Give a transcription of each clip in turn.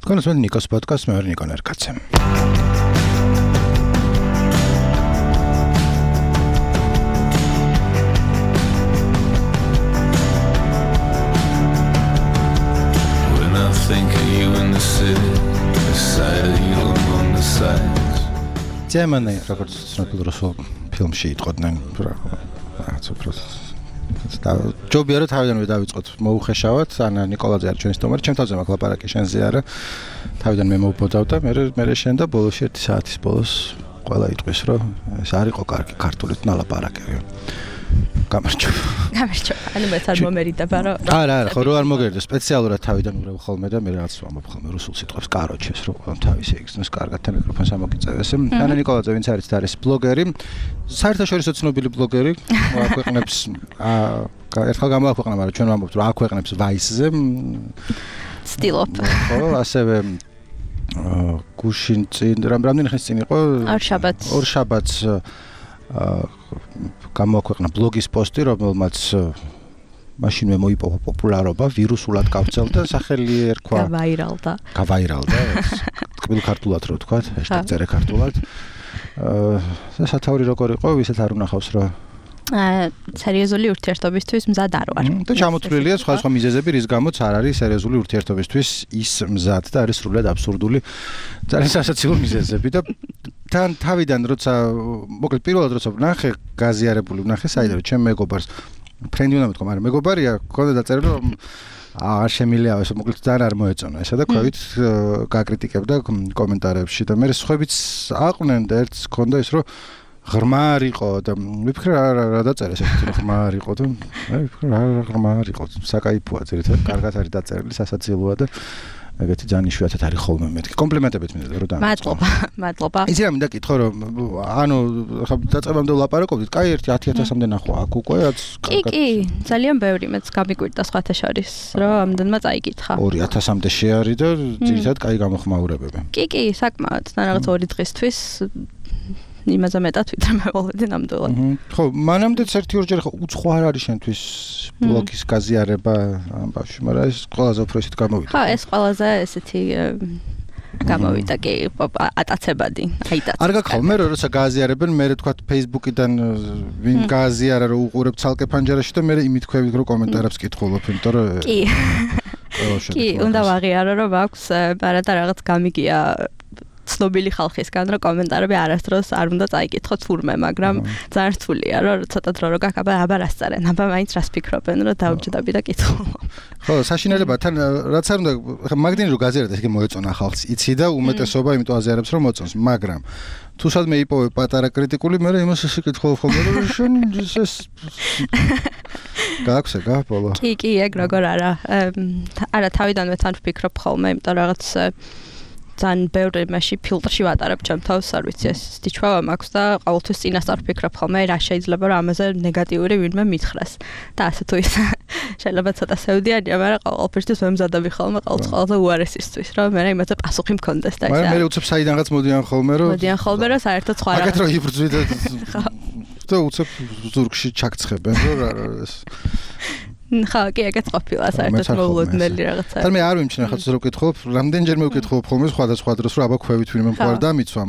თქვენს ნიკოს პოდკასტს მე ვარ ნიკო ნერკაცე. Think of you in the city, beside you among the sights. Ძემანი როგორც ცნობილ რუსულ ფილმში იტყოდნენ, რაღაც უბრალოდ ჯობია რომ თავიდანვე დავიწყოთ მოუხეშავად, ანა ნიკოლაძე არის ჩვენი სტუმარი, ჩემ თავზე მაქვს ლაპარაკი შენზე არა. თავიდან მე მოვბოდავ და მე შენ და ბოლოში 1 საათის ბოლოს ყველა იტყვის რომ ეს არ იყო კარგი ქართულით ნალაპარაკები. გამარჯობა. ანუ მეც არ მომერიდება რომ არა, ხო რო არ მოგერდა სპეციალურად თავიდან უბრალოდ ხოლმე და მე რაღაც ვამბობ ხოლმე რუსულ სიტყვებს კაროჩეს რომ ყველამ თავისი იგრძნოს კარგად და მიკროფონს ამოგიწევეს. ანა ნიკოლაძე ვინც არის ბლოგერი, საერთაშორისო ცნობილი ბლოგერი, აქვეყნებს ერთხელ გამოაქვეყნა, მაგრამ ჩვენ ვამბობთ რომ აქვეყნებს Vice-ზე. ცდილობ. ხო, ასევე გუშინ წინ რამდენი ხნის წინ იყო? ორ შაბათს გამოაქვეყნა ბლოგის პოსტი, რომელმაც მაშინვე მოიპოვა პოპულარობა, ვირუსულად გავრცელდა, სახელი ერქვა გავაირალდა. ტკბილ ქართულად რო ვთქვა, #წერე ქართულად. სათაური როგორ იყო, ვისაც არ უნახავს რა სერიოზული ურთიერთობისთვის მზად არ ვარ. და ჩამოთვლილია სხვა მიზეზები, რის გამოც არ არის სერიოზული ურთიერთობისთვის ის მზად და არის სრულად აბსურდული ძალიან სასაცილო მიზეზები და თან თავიდან როცა მოკლედ პირველად როცა ვნახე გაზიარებული ვნახე საიდან ჩემ მეგობარს ფრენდი უნდა მეთქვა, მაგრამ მეგობარია, ქონდა დაწერილი რომ არ შემიძლია ეს მოკლედ ძალიან არ მოეწონა ესა და ქვევით გაკრიტიკებდა კომენტარებში და მე სხვაებიც აყვნენ და ერთს ქონდა ის რომ ღრმარ იყო და ვიფიქრე რა დაწერეს ეს ღრმარ იყო და მე ვიფიქრე რა ღრმარ იყო საკაიფოა ძირითადად კარგად არის დაწერილი სასაცილოა და ეგეთი ძალიან იშვიათად არის ხოლმე მეთქი კომპლიმენტებიც მინდა რომ მადლობა იცი რა მინდა კითხო რომ ანუ ხა დაწყებამდე ვლაპარაკობდით კაი 10,000-მდე ნახვა აქ უკვე რაც კი ძალიან ბევრი მეც გამიკვირდა სხვათა შორის რომ ამდენმა წაიკითხა 2,000-მდე შეარი და ძირითადად კაი გამოხმაურებები კი საკმაოდ და რაღაც 2 დღისთვის იმაზე მეტად ვიდრე მე ვალდე ნამდვილად. ხო, მანამდეც 1-2 ხო უცხო არ არის შენთვის ბლოგის გაზიარება ამ ბავშვი, მაგრამ ეს ყველაზე უფრო ისეთ გამოვიდა. ხო, ეს ყველაზე ესეთი გამოვიდა კი ატაცებადი, აიტაცება. არ გაქ ხოლმე როცა გააზიარებენ, მე თქვა Facebook-იდან ვინ გააზიარა რომ უყურებ ცალკე ფანჯარაში და მე იმითქვევით რომ კომენტარებს კითხულობ, იმიტომ რომ კი, უნდა ვაღიარო რომ აქვს პარადა რაღაც გამიგია ცნობილი ხალხისგან რომ კომენტარები არასდროს არ უნდა წაიკითხოთ თურმე, მაგრამ ძალიან რთულია რომ ცოტა დრო რო გაკაბა აბა რას წერენ, აბა მაინც რას ფიქრობენ რომ დავჯდები და კითხულობ. ხო, საშინელებაა თან რაც არ უნდა მაგდენი რომ გაზიაროთ ესე მოეწონა ხალხს, იცი და უმეტესობა იმიტომ აზიარებს რომ მოწონს, მაგრამ თუ სადმე იპოვე პატარა კრიტიკული, მე იმას ესე კითხულობ ხოლმე რომ შენ ეს გააქვს ეგა ბოლო. კი, ეგ როგორ არა თავიდანვე თან ვფიქრობ ხოლმე, იმიტომ რაღაც ძალიან ბევრი მაშინ ფილტრში ვატარებ ჩემ თავს, არ ვიცი ეს დიჩვავა მაქვს და ყოველთვის წინასწარ ვფიქრობ ხოლმე რა შეიძლება რომ ამაზე ნეგატიური ვინმე მითხრას და ასე თუ ის შეიძლება ცოტა სევდიანია, მაგრამ ყოველთვის ვემზადები ხოლმე ყოველთვის უარესისთვის რომ მე იმაზე პასუხი მქონდეს და ეს მაგრამ მე უცებ საიდანღაც მოდიან ხოლმე რომ საერთოდ სხვა რააკეთრო იბრძვით და უცებ ზურგში ჩაქცხებენ რომ ეს ხა კი ეგეც ყოფილა საერთოდ მოულოდნელი რაღაცა. თან მე არ ვიმჩნევ ხაც რო ვკითხულობ, რამდენჯერ მე ვკითხულობ ხოლმე სხვადასხვა დროს რომ აბა ქვევით ვინმე მხარ დამიცვა,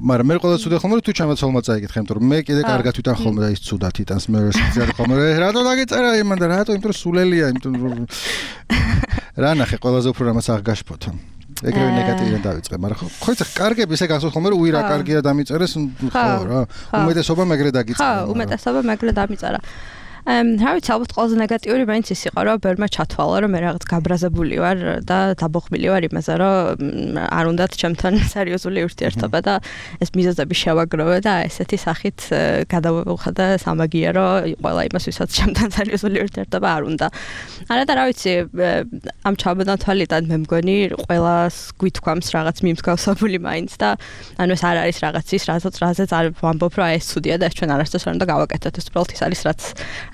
მაგრამ მე ყველა ცუდი ხოლმე თუ ჩამაცოლმა წაიკითხე, იმიტომ რომ მე კიდე კარგად ვიტან ხოლმე და ის ცუდად იტანს მე ვერსიძარ ხოლმე რატო დაგეწერა იმან და რატო იმიტომ რომ სულელია, იმიტომ რომ რა ნახე ყველაზე უფრო რამაც აღგაშფოთო. ეგრევე ნეგატივიდან დავიწყე, მაგრამ ხო იცი კარგები ესე გასულ ხოლმე რომ უი რა კარგია დამიწერეს, ხო რა. უმეტესობა მეგრე დაგიწერა. ხო, უმეტესობა მეგრე დამიწერა. რა ვიცი, ალბათ ყველაზე ნეგატიური მაინც ის იყო, რომ ბერმა ჩათვალა, რომ მე რაღაც გაბრაზებული ვარ და დაბოხმილი ვარ იმაზე, რომ არ უნდათ ჩემთან სერიოზული ურთიერთობა და ეს მიზეზები შევაგროვე და ესეთი სახით გადავუხადა სამაგიერო ყველა იმას, ვისაც ჩემთან სერიოზული ურთიერთობა არ უნდა. არა და რა ვიცი, ამ ჩამონათვალიდან მე მგონი ყველას გვითქვამს რაღაც მიმსგავსებული მაინც და ანუ ეს არ არის რაღაც ის, რაზეც არ ვამბობ, რომ ეს ცუდია და ეს ჩვენ არასდროს არ უნდა გავაკეთოთ, ეს უბრალოდ ის არის,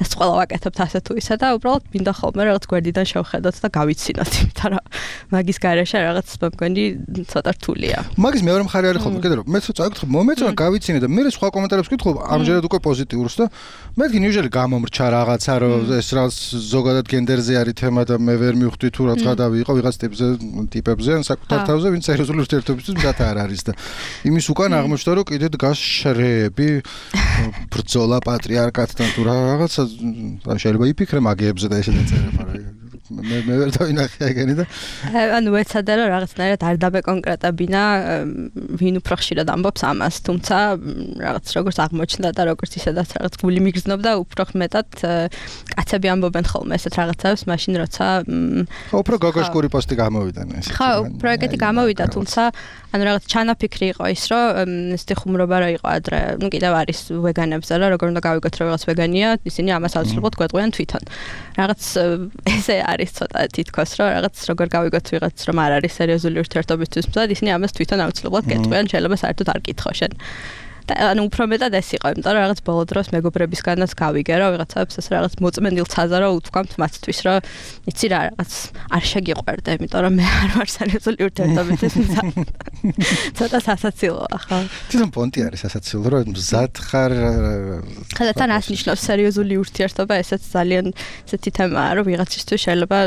ეს ყველა ვაკეთებთ ასე თუ ისა და უბრალოდ მინდა ხოლმე რაღაც გვერდიდან შევხედოთ და გავიცინოთ, იმიტომ რომ მაგის გარეშე რაღაც მგონი ცოტა რთულია. მაგის მეორე მხარე არის ხოლმე, კიდე რომ მეც წავიკითხე, მომეწონა გავიცინე და მე სხვა კომენტარებს ვკითხულობ, ამჯერად უკვე პოზიტიურს და მეთქი ნიუჟელი გამომრჩა რაღაცა, რომ ეს რაღაც ზოგადად გენდერზე არის თემა და მე ვერ მივხვდი თუ რაც გადავი იყო ვიღაც ტიპებზე ან საკუთარ თავზე, ვინც სერიოზული ურთიერთობისთვის მზად არ არის და იმის უკან აღმოჩნდა რომ კიდე დგას შრეები ბრძოლა პატრიარქატთან თუ რაღაცა შეიძლება იფიქრე მაგიებზე და ესეც წერება რა მე ვერ დავინახე ეგენი და ანუ ეცადა რომ რაღაცნაირად არ დაბეკონკრეტებინა ვინ უფრო ხშირად ამბობს ამას თუმცა რაღაც როგორც აღმოჩნდა და როგორც ისედაც რაღაც გული მიგრძნობდა უფრო მეტად კაცები ამბობენ ხოლმე ესეთ რაღაცებს მაშინ როცა უფრო გოგოშკური პოსტი გამოვიდა ეს ხო პროექტი გამოვიდა თუმცა ანუ რაღაც ჩანაფიქრი იყო ის რომ ესეთი ხუმრობა რა იყო ადრე ნუ კიდევ არის ვეგანებზე რა როგორ უნდა გავიგოთ რომ რაღაც ვეგანია ისინი ამას აუცილებლად გვეტყვიან თვითონ რაღაც ესე არის ცოტა თითქოს რომ რაღაც როგორ გავიგოთ ვიღაც რომ არ არის სერიოზული ურთიერთობისთვის მზად ისინი ამას თვითონ აუცილებლად გეტყვიან შეიძლება საერთოდ არ გითხო შენ ანუ უფრო მეტად ეს იყო იმიტომ რომ რაღაც ბოლო დროს მეგობრებისგანაც გავიგე რომ ვიღაცებს ეს რაღაც მოწმენდილ ცაზა რომ უთქვამთ მათთვის რომ იცი რა რაღაც არ შეგიყვერდა იმიტომ რომ მე არ ვარ სერიოზული ურთიერთობისთვის ცოტა სასაცილოა ხო თვითონ პონტი არის სასაცილო რომ მზად ხარ ხოდა თან ასნიშნავს სერიოზული ურთიერთობა ესეც ძალიან ესეთი თემაა რომ ვიღაცისთვის შეიძლება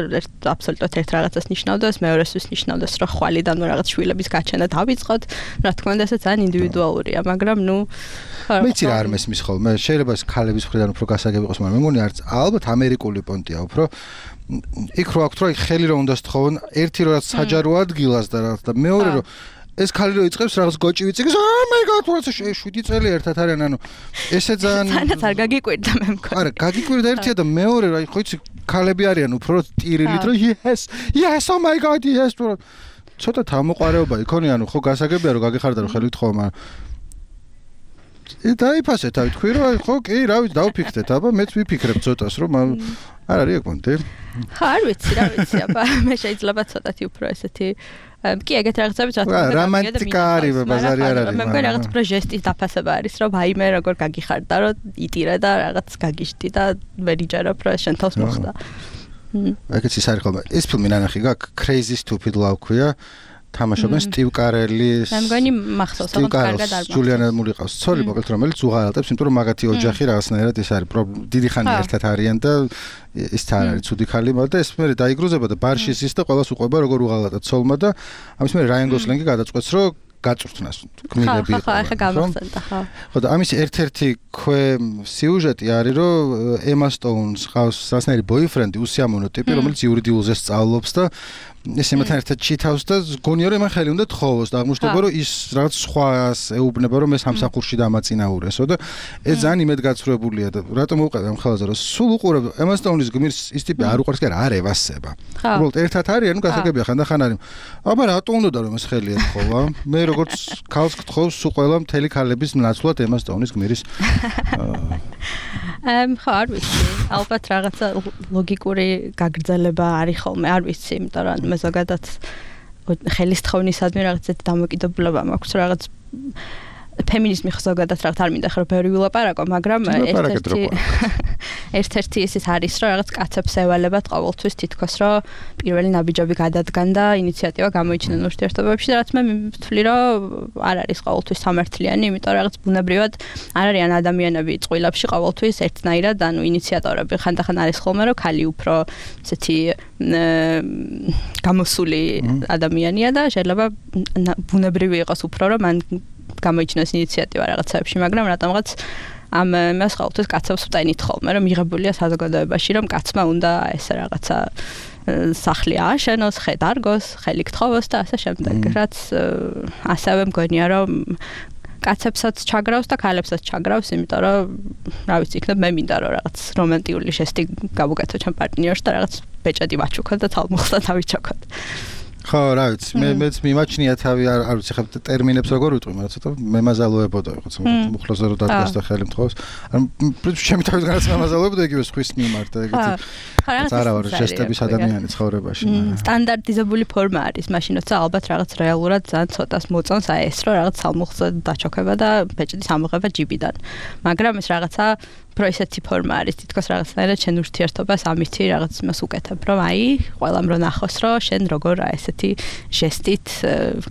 აბსოლუტურად ერთ რაღაცას ნიშნავდეს მეორესთვის ნიშნავდეს რომ ხვალიდან რაღაც შვილების გაჩენა დავიწყოთ რა თქმა უნდა ესეც ძალიან ინდივიდუალურია მაგრამ ნუ მეცი რა არ მესმის ხოლმე შეიძლება ეს ქალების მხრიდან უფრო გასაგები იყოს მაგრამ მე მგონი არც ალბათ ამერიკული პონტია უფრო იქ რო აქვს რომ ხელი რომ უნდა სთხოვონ ერთი რო რაც საჯარო ადგილას და რაღაც და მეორე რო ეს ქალი რო იწყებს რაღაც გოჭი ვიწიგს oh my god რა 7 წელი ერთად არიან ანუ ესე ძალიან არ გაგიკვირდა მე მგონი არა გაგიკვირდა ერთია და მეორე რა ხო იცი ქალები არიან უფრო ტირილით რომ yes oh my god yes ცოტა თავმოყარეობა იქონი ანუ ხო გასაგებია რომ გაგიხარდა რომ ხელი ვთხოვო მაგრამ დაიფასე თავი თქვი რომ ხო კი რა ვიცი დავფიქრეთ აბა მეც ვიფიქრებ ცოტას რომ არ არის ეგ პონტი ხო არ ვიცი რა ვიცი აბა მე შეიძლება ცოტათი უფრო ესეთი კი ეგეთ რაღაცებიც რა თქმა უნდა რომანტიკა არის ბაზარი არ არის მე მგონი რაღაც უფრო ჟესტის დაფასება არის რომ აი მე როგორ გაგიხარდა რომ იტირე და რაღაც გაგიშდი და ვერ იჯერებ რომ შენ თავს მოხდა ეგეც ის არის ხოლმე ეს ფილმი ნანახი გაქვს Crazy Stupid Love ქვია თამაშობენ სტივ კარელის მე მგონი მახსოვს რომ კარგად არ მახსოვს ჯულიანა მური ყავს ცოლი მოკლედ რომელიც უღალატებს იმიტომ რომ მაგათი ოჯახი რაღაცნაირად ეს არის დიდი ხანი ერთად არიან და ის თან არის ცუდი ხალი მაგრამ ეს მე დაიგრუზება და ბარში ის და ყველას უყვება როგორ უღალატა ცოლმა და ამის მე რაიან გოსლინგი გადაწყვეტს რომ გაწვრთნას გმირები ხო ახლა გამახსენდა ხო ხო და ამის ერთ-ერთი სიუჟეტი არის რომ ემა სტოუნს ყავს სასნაირი ბოიფრენდი უსიამოვნო ტიპი რომელიც იურიდიულზე სწავლობს და ეს იმათან ერთად ჩითავს და გონია რომ მან ხელი უნდა თხოვოს და აღმოჩნდება რომ ის რაღაც სხვას ეუბნება რომ მე სამსახურში დამაწინაურესო და ეს ძალიან იმედგაცრუებულია და რატომ მოვყავდა ამ ხალხზე რომ სულ უყურებ ემა სტოუნის გმირს ის ტიპი არ უყურს კი არ ევასება უბრალოდ ერთად არიან ნუ გასაგებია ხანდახან არის აბა რატო უნდა რომ ეს ხელი ეთხოვა მე როგორც ქალს გთხოვს სულ ყველა მთელი ქალების ნაცვლად ემა სტოუნის გმირის ხო არ ვიცი ალბათ რაღაცა ლოგიკური გაგრძელება არის ხოლმე არ ვიცი იმიტომ რომ მე ზოგადად ხელისთხოვნისადმი რაღაცეთ დამოკიდებულება მაქვს რაღაც ფემინიზმი ზოგადად რაღაც არ მინდა ხრო ბევრი ვილაპარაკო მაგრამ ერთ-ერთი ის არის რომ რაღაც კაცებს ევალებათ ყოველთვის თითქოს რომ პირველი ნაბიჯები გადადგან და ინიციატივა გამოიჩინენ ურთიერთობებში და რაც მე ვთვლი რომ არ არის ყოველთვის სამართლიანი იმიტომ რომ რაღაც ბუნებრივად არ არიან ადამიანები წყვილებში ყოველთვის ერთნაირად ანუ ინიციატორები ხანდახან არის ხოლმე რომ ქალი უფრო ესეთი გამოსული ადამიანია და შეიძლება ბუნებრივი იყოს უფრო რომ მან გამოიჩინოს ინიციატივა რაღაცებში, მაგრამ რატომღაც ამ მას ყოველთვის კაცებს ვტენით ხოლმე, რომ მიღებულია საზოგადოებაში, რომ კაცმა უნდა ესე რაღაცა სახლი ააშენოს, ხე დარგოს, ხელი გთხოვოს და ასე შემდეგ. რაც ასევე მგონია, რომ კაცებსაც ჩაგრავს და ქალებსაც ჩაგრავს, იმიტომ რომ რა ვიცი, იქნებ მე მინდა რომ რაღაც რომანტიკული ჟესტი გავუკეთო ჩემ პარტნიორს და რაღაც ბეჭედი ვაჩუქოთ და თალმუხსა დავიჩოქოთ. ხო, რა ვიცი, მეც მიმაჩნია თავი არ ვიცი ხა ტერმინებს როგორ ვიტყვი, მაგრამ ცოტა მემაზალოებოდა ვიღაც მუხლოზე რომ დადგას და ხელი მთხოვს. ან ჩემი თავისგანაც მემაზალოებოდა იგივე სხვის მიმართ და ეგეთი. არა ვარ ჟესტების ადამიანი ცხოვრებაში. სტანდარტიზებული ფორმა არის, მაშინ როცა ალბათ რაღაც რეალურად ძალიან ცოტას მოწონს აი ეს რომ რაღაც თალმუხსა დაჩოქება და ბეჭდის ამოღება ჯიბიდან. მაგრამ ეს რაღაცა უფრო ისეთი ფორმა არის თითქოს რაღაცნაირად შენ ურთიერთობას ამითი რაღაც მას უკეთებ რომ აი ყველამ რო ნახოს რომ შენ როგორ ესეთი ჟესტით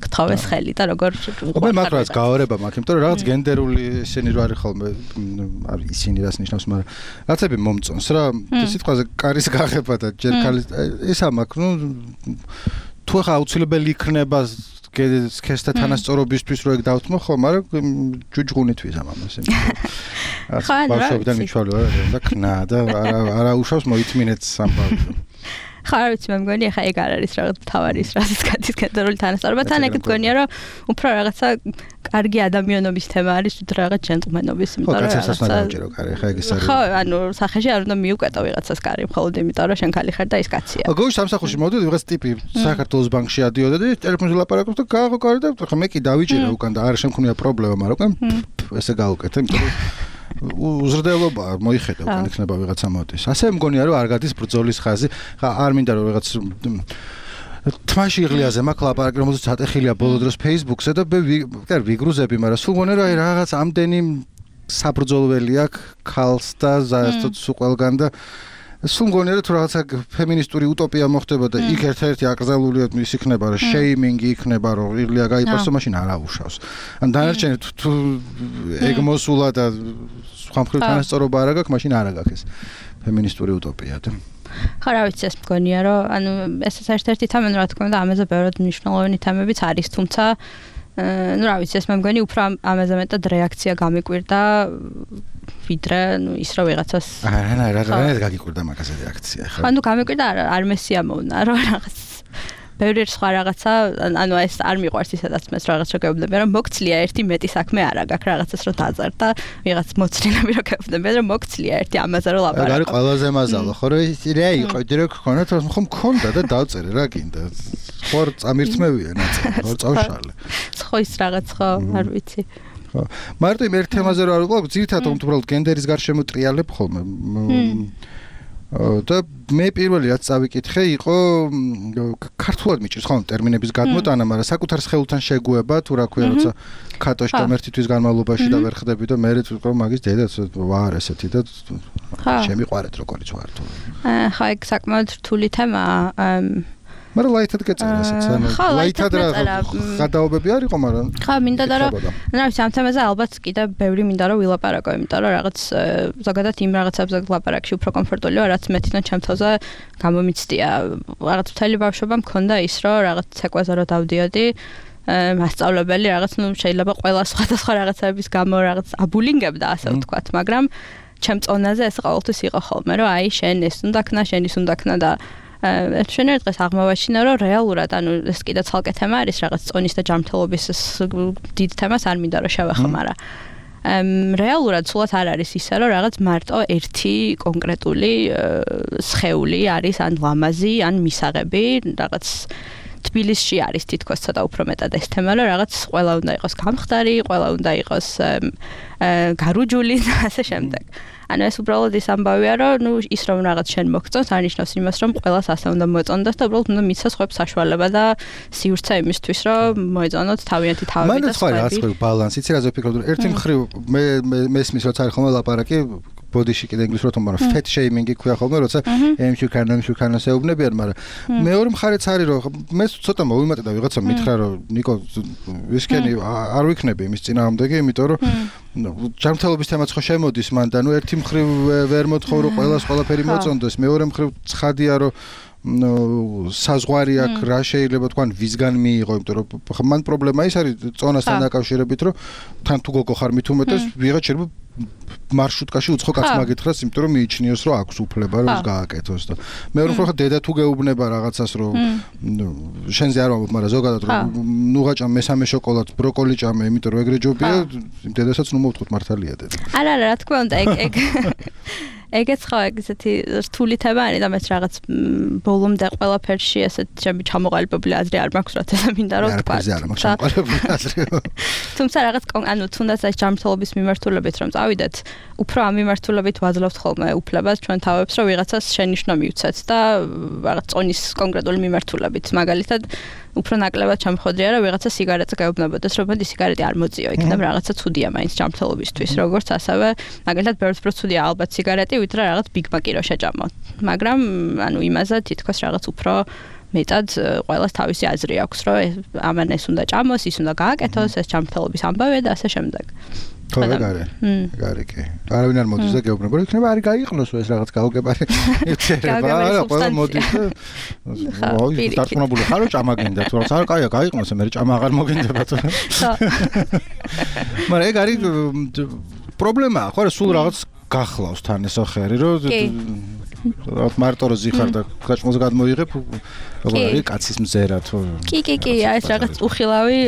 გთხოვეს ხელი და როგორ მე მაგრამ გავარება მაქვს იმიტომ რომ რაღაც გენდერული ისინი რო არის ხოლმე ისინი რას ნიშნავს მაგრამ რაღაცები მომწონს რა სიტყვაზე კარის გაღება და ჯერ ქალის ისა მაქვს ნუ თუ ხა აუცილებელი იქნება ქესთა თანასწორობისთვის რო ეგ დავთმო ხო მაგრამ ჯუჯღუნით ვიზამ ამას ბავშვობიდან მიჩვალე და ქნა და არა უშავს მოითმინეთ სამბავშვო ხა არ ვიცი მე მგონი ხა ეგ არ არის რაღაც თავარის რაზეც გადის გენდერული თანასწორობა თან ეგ მგონია რომ უფრო რაღაცა კარგი ადამიანობის თემა არის თუ რაღაც ჯენტლმენობის იმიტომ რომ რაღაცა დაუჭირო კარი ხა ეგ ის არის ხო ანუ სახეში არ უნდა მიუკვეთო ვიღაცას კარი მხოლოდ იმიტომ რომ შენ ხალი ხარ და ის კაცია გოშ სამსახურში მოვდიოდი ვიღაც ტიპი საქართველოს ბანკში ადიოდა და ტელეფონზე ლაპარაკობს და გააღო კარი და ხა მე კი დავიჭირე უკან და არ შემქონია პრობლემა მაგრამ ესე გავუკეთე იმიტომ რომ უზრდელობა მოიხედა უკან იქნება ვიღაცა მოდის ასე მგონია რომ არ გადის ბრძოლის ხაზი ხა არ მინდა რომ ვიღაც თმაში იღლიაზე მაქვს ლაპარაკი რომელზეც ატეხილია ბოლო დროს Facebook-ზე და მე ვიგრუზები მაგრამ სულ მგონია რომ აი რაღაც ამდენი საბრძოლველი აქვს ქალს და ზუსტად სულ ყველგან და სულ მგონია რომ თუ რაღაცა ფემინისტური utopia მოხდება და იქ ერთ-ერთი აკრძალულია ის იქნება რომ შეიმინგი იქნება რომ იღლია გაიყვარს მაშინ არ აუშავს ან დანარჩენი თუ ეგ მოსულა და სხვა მხრივ თანასწორობა არ აქვს მაშინ არ აქვს ეს ფემინისტური utopia და ხა რა ვიცი ეს მგონია რომ ანუ ეს ერთ-ერთი თემა რა თქმა უნდა ამაზე ბევრად მნიშვნელოვანი თემებიც არის თუმცა ну რა ვიცი ეს მე მგონი უფრო ამაზე მეტად რეაქცია გამიკვირდა ვიდრე ну ის რა ვიღაცას არა გაგიკვირდა მაგაზე რეაქცია ხო ანუ გამიკვირდა არ მესიამოვნა რომ რაღაც ბევრი სხვა რაღაცა ანუ ეს არ მიყვარს ისედაც მე რაღაც რო გეუბნები რომ მოგცლია ერთი მეტი საქმე არა გაქვს რაღაცას რო დაზარ და ვიღაც მოცლინები რო გეუბნები რომ მოგცლია ერთი ამაზე რო ლაპარაკობ არის ყველაზე მაზალო ხო რომ რა იყო დირექტ ხონა თუ ხომ მქონდა და დავწერე რა გინდა ხო წამირთმევია ნაწილი ხო წავშალე ხო ის რაღაც ხო არ ვიცი ხო მარტო იმ ერთ თემაზე რო არ ვიყავ ძირითადად უბრალოდ გენდერის გარშემო ტრიალებ ხოლმე და მე პირველი რაც წავიკითხე იყო ქართულად მიჭირს ხოლმე ტერმინების გადმოტანა, მაგრამ საკუთარ სხეულთან შეგუება თუ რა ქვია როცა ქატოში და ერთი თვის განმავლობაში და ვერ ხდები და მე თვითონ მაგის დედაც ვარ ესეთი და შემიყვარეთ როგორიც ვარ თუ. ხა ეგ საკმაოდ რთული თემაა. მაგრამ ლაითად გეწერა ესეც ანუ ლაითად რა გადაობები არისო მაგრამ ხა მინდა და რომ რა ვიცი ამ თემაზე ალბათ კიდე ბევრი მინდა რომ ვილაპარაკო იმიტომ რომ რაღაც ზოგადად იმ რაღაცებზე ლაპარაკში უფრო კომფორტული ვარ რაც მე თვითონ ჩემ თავზე გამომიცდია რაღაც მთელი ბავშვობა მქონდა ის რომ რაღაც ცეკვაზე რომ დავდიოდი მასწავლებელი რაღაც ნუ შეიძლება ყველა სხვადასხვა რაღაცების გამო რაღაც აბულინგებდა ასე ვთქვათ მაგრამ ჩემ წონაზე ეს ყოველთვის იყო ხოლმე რომ აი შენ ეს უნდა ქნა შენ ის უნდა ქნა და შენ ერთ დღეს აღმოვაჩინე რომ რეალურად ანუ ეს კიდე ცალკე თემა არის რაღაც წონის და ჯანმრთელობის დიდ თემას არ მინდა რომ შევეხო მაგრამ რეალურად სულაც არ არის ისე რომ რაღაც მარტო ერთი კონკრეტული სხეული არის ან ლამაზი ან მისაღები რაღაც თბილისში არის თითქოს ცოტა უფრო მეტად ეს თემა რომ რაღაც ყველა უნდა იყოს გამხდარი ყველა უნდა იყოს გარუჯული და ასე შემდეგ ანუ ეს უბრალოდ ის ამბავია რომ ნუ ის რომ რაღაც შენ მოგწონს არნიშნავს იმას რომ ყველას ასე უნდა მოწონდეს და უბრალოდ უნდა მიცეს ხვებს საშუალება და სივრცე იმისთვის რომ მოეწონოთ თავიანთი თავები და სხვა რაღაც ბალანსი იცი რაზე ვფიქრობ რომ ერთი მხრივ მე მესმის როცა არის ხოლმე ლაპარაკი ბოდიში კიდე ინგლისურად თუმცა მაგრამ fat shaming ქვია ხოლმე როცა ემშუ კანოს ეუბნებიან მაგრამ მეორე მხარეც არის რომ მე ცოტა მოვიმატე და ვიღაცა მითხრა რომ ნიკო ვისკენი არ ვიქნები იმის წინააღმდეგი იმიტომ რომ ჯანმრთელობის თემაც ხო შემოდის მან და ნუ ერთი მხრივ ვერ მოთხოვ რომ ყველას ყველაფერი მოწონდეს მეორე მხრივ ცხადია რომ საზღვარი აქ რა შეიძლება თქვა ვისგან მიიღო იმიტომ რომ მან პრობლემა ის არის წონასთან დაკავშირებით რომ თან თუ გოგო ხარ მით უმეტეს ვიღაც შეიძლება მარშრუტკაში უცხო კაცს მაგითხრას იმიტომ რომ მიიჩნიოს რომ აქვს უფლება რომ ის გააკეთოს და მეორე მხრივ ხა დედა თუ გეუბნება რაღაცას რომ შენზე არ ვამბობ მაგრამ ზოგადად რომ ნუ გაჭამ მესამე შოკოლადს ბროკოლი ჭამე იმიტომ რომ ეგრე ჯობია დედასაც ნუ მოვთხოვთ მართალია დედა არა რა თქმა უნდა ეგ ეგეც ხო ეგეთი რთული თემა არის და მეც რაღაც ბოლომდე ყველაფერში ესეთ ჩემი ჩამოყალიბებული აზრი არ მაქვს რაც ეს მინდა რომ თქვა თუმცა რაღაც ანუ თუნდაც ეს ჯანმრთელობის მიმართულებით რომ წავიდეთ უფრო ამ მიმართულებით ვაძლევთ ხოლმე უფლებას ჩვენ თავებს რომ ვიღაცას შენიშვნა მივცეთ და რაღაც წონის კონკრეტული მიმართულებით მაგალითად უფრო ნაკლებად ჩამხოდრია რა ვიღაცა სიგარეტზე გაეუბნებოდეს რომ მოდი სიგარეტი არ მოძიო იქნებ რაღაცა ცუდია მაინც ჯანმრთელობისთვის როგორც ასევე მაგალითად ბევრს უფრო ცუდია ალბათ სიგარეტი ვიდრე რაღაც Big Mac-ი რო შეჭამო მაგრამ ანუ იმაზე თითქოს რაღაც უფრო მეტად ყველას თავისი აზრი აქვს რომ ამან ეს უნდა ჭამოს ის უნდა გააკეთოს ეს ჯანმრთელობის ამბავია და ასე შემდეგ ხო ეგარი კი არავინ არ მოდის და გეუბნება რომ იქნება არის გაიყნოს ეს რაღაც გაუგებარი ერთება არა ყველა მოდის და ой დარწმუნებული ხარო ჭამა გინდა თუ რაღაც არ კაია გაიყნოს მე ჭამა აღარ მოგინდება თუ მაგრამ ეგ არის პრობლემაა ხო რა სულ რაღაც გახლავს თან ეს ახერი რომ რაღაც მარტო რო ზიხარ და გაჭმულს გადმოიღებ როგორ არის კაცის მზერა თუ კი ეს რაღაც უხილავი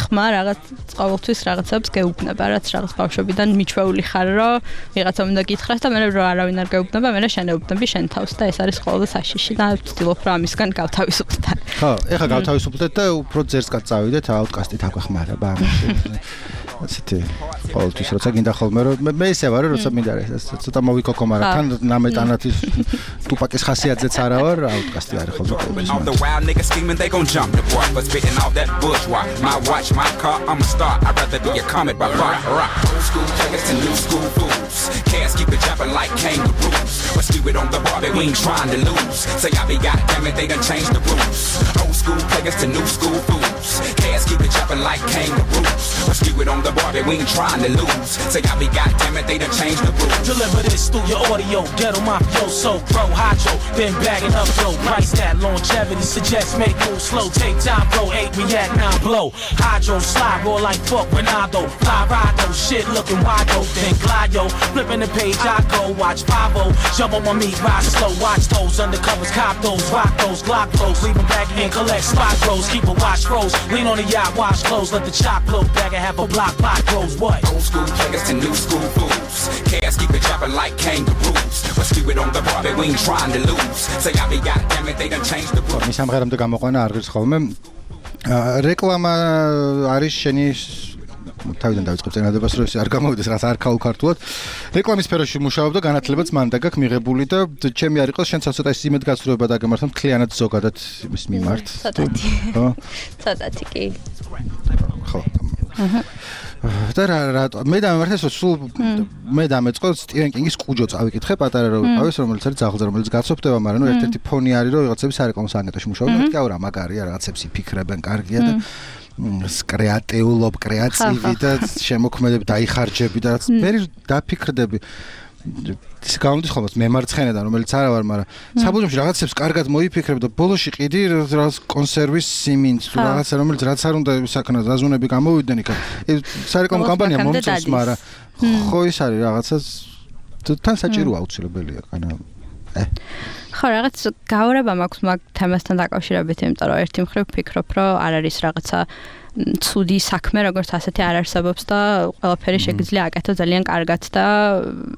ხმა რაღაც ყოველთვის რაღაცებს გეუბნება რაც რაღაც ბავშვობიდან მიჩვეული ხარ რომ ვიღაცა უნდა გითხრას და მე რო არავინ არ გეუბნება მე შენეუბნები შენ თავს და ეს არის ყოველდღე საშიში და ვცდილობ რომ ამისგან გავთავისუფლდეთ ხო ეხლა გავთავისუფლდეთ და უფრო ძერსკად წავიდეთ აუტკასტით აკვეხმარა ბამში ასეთი ყოველთვის როცა გინდა ხოლმე რომ მე ისე ვარ როცა მინდა ეს ცოტა მოვიკოკო მაგრამ თან ნამეტანათის ტუპაკის ხასიათზეც არა ვარ აუტკასტი არის ხოლმე all the wild niggas scheming they gon' jump the boy but spitting all that bourgeois my watch my car I'm a star I'd rather be a comet by rock old school players to new school fools cats keep it jumping like kangaroos but skew it on the bar we ain't trying to lose say I be goddamn it they done changed the rules old school players to new school fools cats keep it jumping like kangaroos but skew it on the bar we ain't trying to lose say I be goddamn it they done changed the rules deliver this through your audio get on my flow so pro hydro then bagging up yo price that longevity suggests make moves slow take time bro 8 react now blow hydro slide roll like fuck Ronaldo fly ride those shit looking wide open then glide yo flipping the page I go watch 5-0 jump on my meat ride slow watch those undercovers cop those rock those Glock those leave them back and collect spot throws keep a watch froze lean on the yacht wash clothes let the chop blow back and have a block pot close what old school players to new school fools cats keep it jumping like kangaroos but skew it on the bar we ain't trying to lose say I be goddamn it they done changed the rules მის ამღერამდე გამოყვანა არ ღირს ხოლმე რეკლამა არის შენი თავიდან დავიწყებ წინადებას რომ ეს არ გამოვიდეს რაღაც არქაულ ქართულად რეკლამის სფეროში მუშაობ და განათლებაც მან და გაქვს მიღებული და ჩემი არ იყოს შენც ცოტა ის იმედ გასწრება დაგემართა მთლიანად ზოგადად იმის მიმართ ხო ცოტათი კი ხო და რა მე დამემართა სულ მე დამეწყო სტივენ კინგის კუჯო წავიკითხე პატარა რო ვიყავი რომელიც არის ძაღლზე რომელიც გაცოფდება მაგრამ ნუ ერთ-ერთი ფონი არის რომ ვიღაცების სარეკლამო საგნეტოში მუშაობენ მეთქი აურა მაგარია რაღაცებს იფიქრებენ კარგია და კრეატიულობ კრეატივი და შემოქმედები დაიხარჯები და რაც მე დაფიქრდები ის გამოდის ხოლმე მემარცხენედან რომელიც არა ვარ მაგრამ საბოლოოში რაღაცებს კარგად მოიფიქრებ და ბოლოში ყიდი რაღაც კონსერვის სიმინდს თუ რაღაცა რომელიც რაც არ უნდა საკანო ზაზუნები გამოვიდნენ იქ სარეკლამო კამპანია მომწონს მაგრამ ხო ის არის რაღაცა თან საჭიროა აუცილებელია კანა ხო რაღაც გაურება მაქვს მაგ თემასთან დაკავშირებით იმიტომ რომ ერთი მხრივ ვფიქრობ რომ არ არის რაღაცა ცუდი საქმე როგორც ასეთი არ არსებობს და ყველაფერი შეგიძლია აკეთო ძალიან კარგად და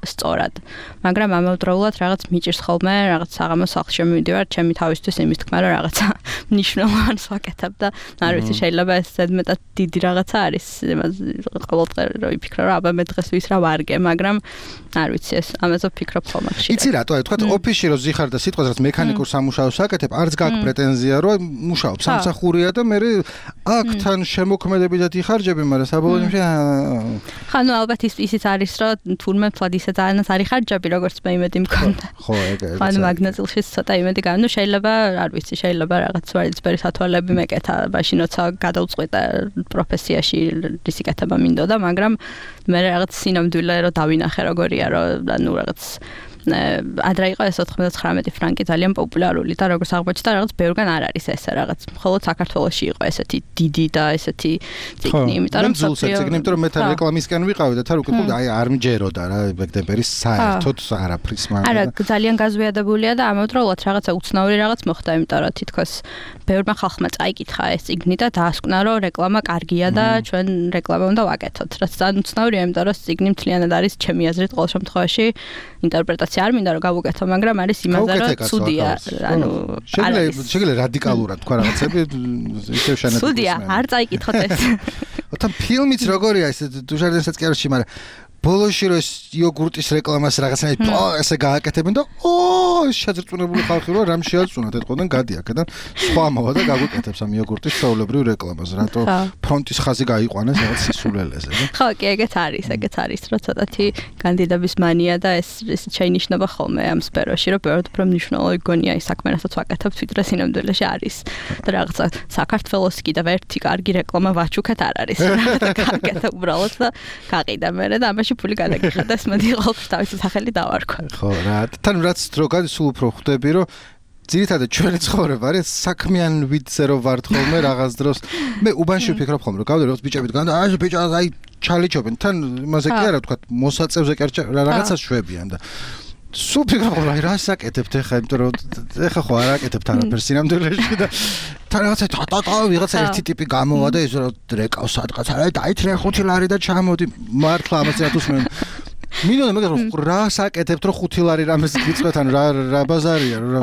სწორად. მაგრამ ამავდროულად რაღაც მიჭირს ხოლმე რაღაც საღამო სახლში მივიდივარ ჩემი თავისთვის იმის თქმა რომ რაღაცა მნიშვნელოვანს ვაკეთებ და არ ვიცი შეიძლება ეს ზედმეტად დიდი რაღაცა არის ყოველდღე რო ვიფიქრო რომ აბა მე დღეს ვის რა ვარგე მაგრამ არ ვიცი ეს ამაზე ვფიქრობ ხოლმე ხშირად. იცი რატო თქვა ოფისში რო ზიხარ და სიტყვას რაც მექანიკურ სამუშაოს აკეთებ არც გაქვს პრეტენზია რომ მუშაობ სამსახურია და მე აქთან შემოქმედებითად იხარჯები, მაგრამ საბოლოოში ხანუ ალბათ ისიც არის, რომ თურმე თვად ისე ძალიანაც არ იხარჯები, როგორც მე იმედი მქონდა. ხო, ეგ. ხანუ მაგნატილში ცოტა იმედი გავა. ნუ შეიძლება, არ ვიცი, შეიძლება რაღაც ვარიცბერი სათვალები მეკეთა, მაშინოცა გადავწყვიტე პროფესიაში რისი კეთება მინდოდა, მაგრამ მე რაღაც სინამდვილე რომ დავინახე როგორია, რომ ანუ რაღაც ადრე იყო ეს 99 ფრანკი ძალიან პოპულარული და როგორც აღმოჩნდა რაღაც ბევრგან არ არის ესე რაღაც მხოლოდ საქართველოში იყო ესეთი დიდი და ესეთი ციგნი იმიტომ რომ ციგნი იმიტომ რომ მე თან რეკლამისკენ ვიყავი და თან უკეთებ აი არ მჯეროდა რა ბეკდებერის საერთოდ არაფრის მაგრამ არა ძალიან გაზვიადებულია და ამავდროულად რაღაცა უცნაური რაღაც მოხდა იმიტომ რომ თითქოს ბევრმა ხალხმა წაიკითხა ეს ციგნი და დაასკვნა რომ რეკლამა კარგია და ჩვენ რეკლამა უნდა ვაკეთოთ რაც ძალიან უცნაურია იმიტომ რომ ციგნი მთლიანად არის ჩემი აზრით ყოველ შემთხვევაში ინტერპრეტაცია არ მინდა რომ გავუკეთო, მაგრამ არის იმაზე რომ ცუდია, ანუ შეიძლება რადიკალურად თქვა რაღაცები ისევ შენად. ცუდია, არ წაიკითხოთ ეს. თან ფილმიც როგორია ეს დუშარდენსაც კი არ ვიცი, მაგრამ ბოლოში რო ეს იოგურტის რეკლამას რაღაცნაირად ესე გააკეთებენ და შეძრწმუნებული ხალხი რო რამ შეაწუნათ ეთყოდან გადი აქედან სხვა მოვა და გაგვიკეთებს ამ იოგურტის საულებრივ რეკლამას რატო ფრონტის ხაზი გაიყვანეს რაღაც სისულელეზე ხო კი ეგეც არის რომ ცოტათი კანდიდატების მანია და ეს შეინიშნება ხოლმე ამ სფეროში რომ ბევრად უფრო მნიშვნელოვანი გონია ის საქმე რასაც ვაკეთებთ ვიდრე სინამდვილეში არის და რაღაცა საქართველოს კიდევ ერთი კარგი რეკლამა ვაჩუქეთ არ არის რაღაცა კარგად უბრალოდ და გაყიდა მე და ამაში ფული გადაგიხადეს მოდი ყოველთვის თავისი სახელი დავარქვა ხო რა თან რაც რო სულ უფრო ხვდები რომ ძირითადად ჩვენი ცხოვრება არის საქმიან ვიდზე რო ვართ ხოლმე რაღაც დროს მე უბანში ვფიქრობ ხოლმე რომ გავდე როგორც ბიჭები დგან და აი ბიჭა აი ჩალიჩობენ თან იმაზე კი არა თქვა მოსაწევზე კი რაღაცას შვებიან და სულ ფიქრობ რომ აი რას აკეთებთ ახლა იმიტომ რომ ახლა ხო არ აკეთებთ არაფერს სინამდვილეში და თან რაღაცა ვიღაცა ერთი ტიპი გამოვა და ის რომ რეკავს სადღაც არა დაითრე 5 ლარი და ჩამოდი მართლა ამას რატოს მე მინდოდა მაგრამ რას აკეთებთ რომ 5 ლარი რამეს გიწვეთ ან რა ბაზარია რა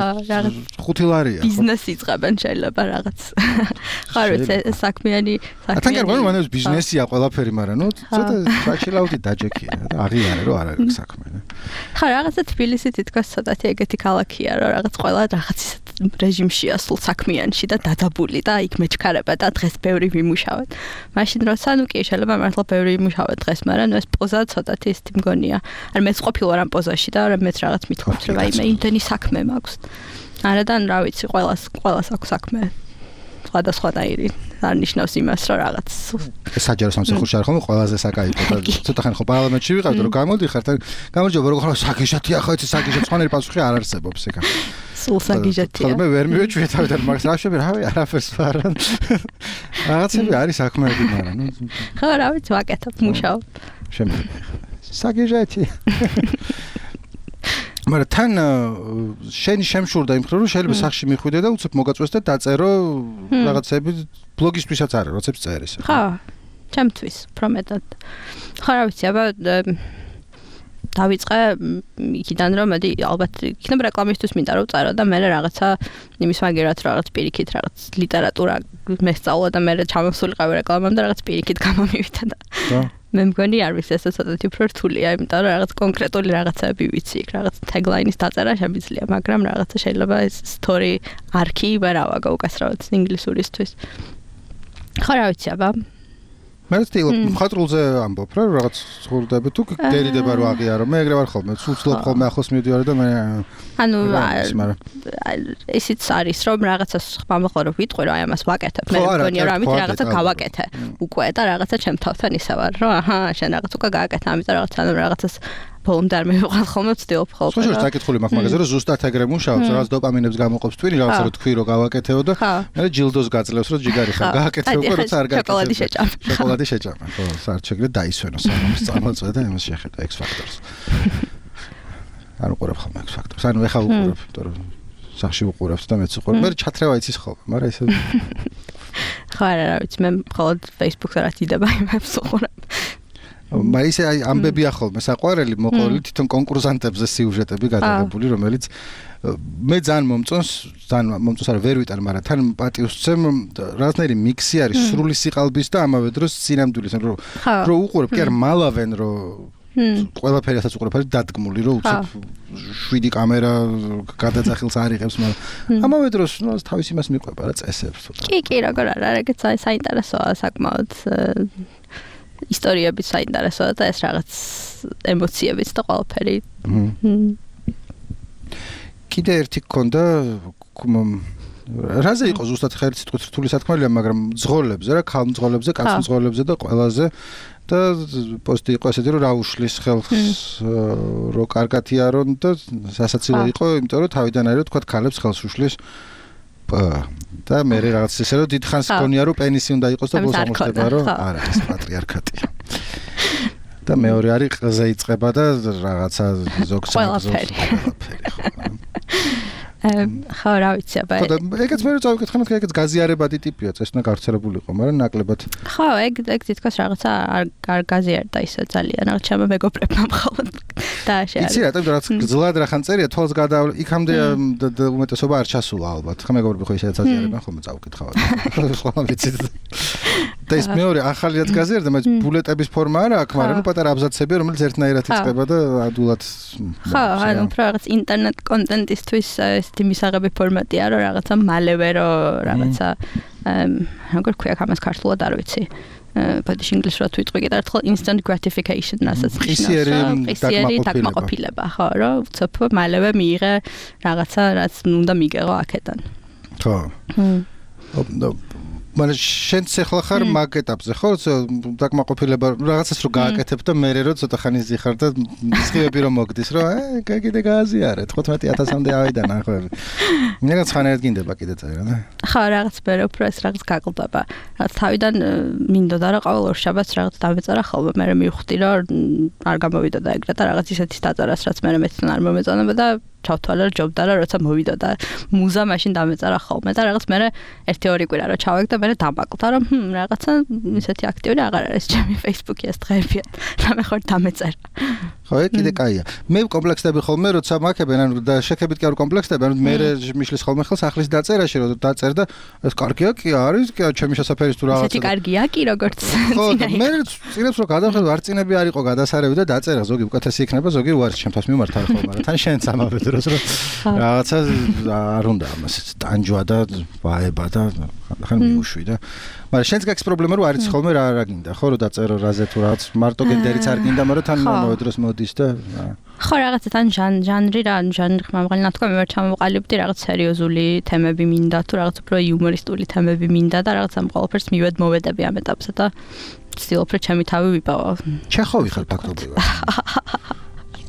5 ლარია ბიზნესი იწყებენ შეიძლება რაღაც ხარ საქმიანი თან გარკვეულ მანერს ბიზნესია ყველაფერი მაგრამ ნუ ცოტა საჩილაუდი დაჯექია და აღიარე რომ არ არის საქმე ხა რაღაცა თბილისი თითქოს ცოტათი ეგეთი ქალაქია რომ რაღაც ყველა რაღაც რეჟიმშია სულ საქმიანში და დადაბული და იქ მეჩქარება და დღეს ბევრი ვიმუშავეთ მაშინ როცა ნუ კი შეიძლება მართლა ბევრი ვიმუშავეთ დღეს მაგრამ ნუ ეს პოზა ცოტათი ის მგონია არ მეც ყოფილვარ ამ პოზაში და მეც რაღაც მithქვათ რომ აი მე იმდენი საქმე მაქვს არადან რა ვიცი ყველას აქვს საქმე სხვადასხვანაირი არ ნიშნავს იმას რომ რაღაც საჯარო სამსახურში არ ხომ ყველაზე საკაიფო და ცოტა ხანი ხო პარლამენტში ვიყავ და რომ გამოდიხარ თან გამარჯობა როგორ ხარ საგიჟათია ხო იცი საგიჟათ სხვანაირი პასუხი არ არსებობს ეგა სულ საგიჟათია ხო მე ვერ მივეჭვი თავიდან მაგას რა შევი რავი არაფერს ვარან რაღაცები არის საქმეები მაგრამ ნუ ხო რა ვიცი ვაკეთებ მუშაობ საგიჟათი მაგრამ თან შენი შემშურდა იმ ხრო რომ შეიძლება სახში მიხვიდე და უცებ მოგაწვეს და დაწერო რაღაცები ბლოგისთვისაც არის როცებს წერის ხო ჩემთვის პრომეტად ხო რა ვიცი აბა დავიწყე იქიდან რომ მედი ალბათ იქნება რეკლამისთვის მინდა რომ წერო და მე რაღაცა იმის მაგერად რაღაც პირიქით რაღაც ლიტერატურა მესწავლა და მე ჩამოსულიყავი რეკლამამდე რაღაც პირიქით გამომივიდა და მე მგონი არ ვიცი ეს ცოტათი უფრო რთულია იმიტომ რომ რაღაც კონკრეტული რაღაცები ვიცი იქ რაღაც tagline-ის დაწერა შემიძლია მაგრამ რაღაცა შეიძლება ეს story arc-ი ვერავა უკასრავად ინგლისურისთვის ხო რა ვიცი აბა მე სტილ მხატრულზე ამბობ რა რაღაც ცხოვრდები თუ გერიდება რომ აღიარო მე ეგრე ვარ ხოლმე ცუცლობ ხოლმე ახლოს მივდივარ და მე ანუ ისიც არის რომ რაღაცას ხმამხო რომ ვიტყვი რომ აი ამას ვაკეთებ მე მგონია რომ ამით რაღაცა გავაკეთე უკვე და რაღაცა ჩემ თავთან ისე ვარ რომ აჰა შენ რაღაც უკვე გააკეთე ამიტომ რაღაცას ბოლომდე არ მივიღალ ხოლმე ვცდილობ ხოლმე ხო შეიძლება საკითხული მაქვს მაგაზე რომ ზუსტად ეგრე მუშაობს რაღაც დოპამინებს გამოყოფს twin რაღაცა რომ თქვი რომ გავაკეთეო და მე ჯილდოს გაძლევს რომ ჯიგარი ხარ გააკეთე უკვე როცა არ გააკეთე შოკოლადი შეჭამა ხო საერთოდ დაისვენო სამომს წამოწვე და იმას შეხედა X Factors არ უყურებ ხოლმე X Factors ანუ ეხა უყურებ იმიტომ რომ სახში უყურებთ და მეც უყურებ მე ჩათრევა იცის ხოლმე მაგრამ ესე ხო რა ვიცი მე მხოლოდ Facebook-ზე რა დიდება იმებს უყურებ მაისე აი ამბებია ხოლმე საყვარელი მოყოლი თვითონ კონკურსანტებზე სიუჟეტები გადაღებული რომელიც მე ძალიან მომწონს არა ვერ ვიტარ მაგრამ თან პატივს ვცემ რაღაცნაირი მიქსი არის სრული სიყალბის და ამავე დროს სინამდვილის რომ უყურებ კი არ მალავენ რომ ყველაფერი ასაც უყურებ არის დადგმული რომ უცებ 7 კამერა გადაძახილს არიღებს მაგრამ ამავე დროს ნუ თავის იმას მიყვება რა წესებს კი როგორ არა ეგეც საინტერესოა საკმაოდ ისტორიებიც საინტერესოა და ეს რაღაც ემოციებიც და ყველაფერი. კიდე ერთი გქონდა რაზე იყო ზუსტად ხა ერთი სიტყვით რთული სათქმელია, მაგრამ მძღოლებზე რა, ქალმძღოლებზე, კაცმძღოლებზე და ყველაზე და პოსტი იყო ესეთი რომ რა უშლის ხელს რო კარგათია რომ და სასაცილო იყო, იმიტომ რომ თავიდან არის თქვა ქალებს ხელს უშლის და მე რაღაც ესე რომ დიდხანს გქონია რომ პენისი უნდა იყოს და ბოლოს აღმოჩნდება რომ არა ეს პატრიარქატია და მეორე არის ყზე იწყება და რაღაცა ზოგს ხო, რა ვიცი, აბა. ხო, ეგეც მე წავიკითხე, მაგრამ ეგეც გაზიარებადი ტიპია, ეს უნდა გავრცელებულიყო, მაგრამ ნაკლებად. ხო, ეგ თითქოს რაღაცა არ გაზიარდა ისე ძალიან, რაღაც ჩემო მეგობრებმა მხოლოდ დააშალა. იცი რა, რაც გძლად რახან წერია, თვალს გადაავლე, იქამდე უმეტესობა არ ჩასულა ალბათ. ხა მეგობრები ხო ისედაც აზიარებენ, ხოლმე წავიკითხავ. სხვა ვიცით. და ეს მეორე ახალი რაც გაზიარდა, მაგრამ ბულეტების ფორმა არა აქვს, მაგრამ ნუ პატარა აბზაცები, რომელიც ერთნაირად იწყება და ადულად. ხო, ანუ უფრო რაღაც ინტერნეტ კონტენტისთვის ესეთი მისაღები ფორმატია, რომ რაღაცა მალევე რომ რაღაცა როგორ ქვია ამას ქართულად არ ვიცი. ბოდიში ინგლისურად ვიტყვი კიდევ ერთხელ instant gratification რასაც ყისიერი დაკმაყოფილება, ხო, რომ ცოტა მალევე მიიღე რაღაცა რაც უნდა მიგეღო აქედან. ხო. მაგრამ შენც ახლა ხარ მაგ ეტაპზე, ხო? დაკმაყოფილება რაღაცას რო გააკეთებ და მერე რო ცოტა ხანი ზიხარ და სხივები რომ მოგდის, რომ კიდე გააზიარე 15000-მდე ავიდა ნახვები. მეგაც ხანერად გინდება კიდე წერა, და? ხო, რაღაც მერე უფრო ეს რაღაც გაკლდება. რაღაც თავიდან მინდოდა რა ყოველ ორ შაბათს რაღაც დავეწერა ხოლმე, მერე მივხვდი რომ არ გამოვიდოდა ეგრე და რაღაც ისეთის დაწერას რაც მერე მეცნ არ მომეწონება და ჩავთვალე რომ ჯობდა რა როცა მოვიდოდა მუზა მაშინ დამეწერა ხოლმე და რაღაც მერე 1-2 კვირა რომ ჩავეგ და მერე დამაკლდა რომ რაღაცა ისეთი აქტიური აღარ არის ჩემი Facebook-ი ეს დღეებია და მე ხარ დამეწერა. ხო, კიდე კაია. მე კომპლექსები ხოლმე როცა მაქებენ, ანუ და შეხებით კი არ კომპლექსები, ანუ მე მიშლის ხოლმე ხელს ახლის დაწერაში რომ დაწერ და ეს კარგია კი არის, კი ჩემი შესაძფერის თუ რაღაცა. ესეთი კარგია კი როგორც ხო, მე წინებს რომ გადავხედო არ წინები არ იყო გადასარევი და დაწერა, ზოგი უკეთესი იქნება, ზოგი უარს ჩემთვის მიმართა ხოლმე, მაგრამ თან შენც ამავე დროს რომ რაღაცა არ უნდა ამას ტანჯვა და ვაება და ხან მიუშვი და მაგრამ შენც გაქვს პრობლემა რომ არის ხოლმე რა გინდა ხო რომ დაწერო რაზე თუ რაღაც მარტო გენდერიც არ გინდა მაგრამ თან მომავე დროს მოდის და ხო რაღაცა თან ჟანრი რა ჟანრი ხმამაღალი ნათქვამი ვარ ჩამოვყალიბდი რაღაც სერიოზული თემები მინდა თუ რაღაც უფრო იუმორისტული თემები მინდა და რაღაც ამ ყველაფერს მოვედები ამ ეტაპზე და ვცდილობ რომ ჩემი თავი ვიპოვო. ჩეხოვი ხარ ფაქტობრივად.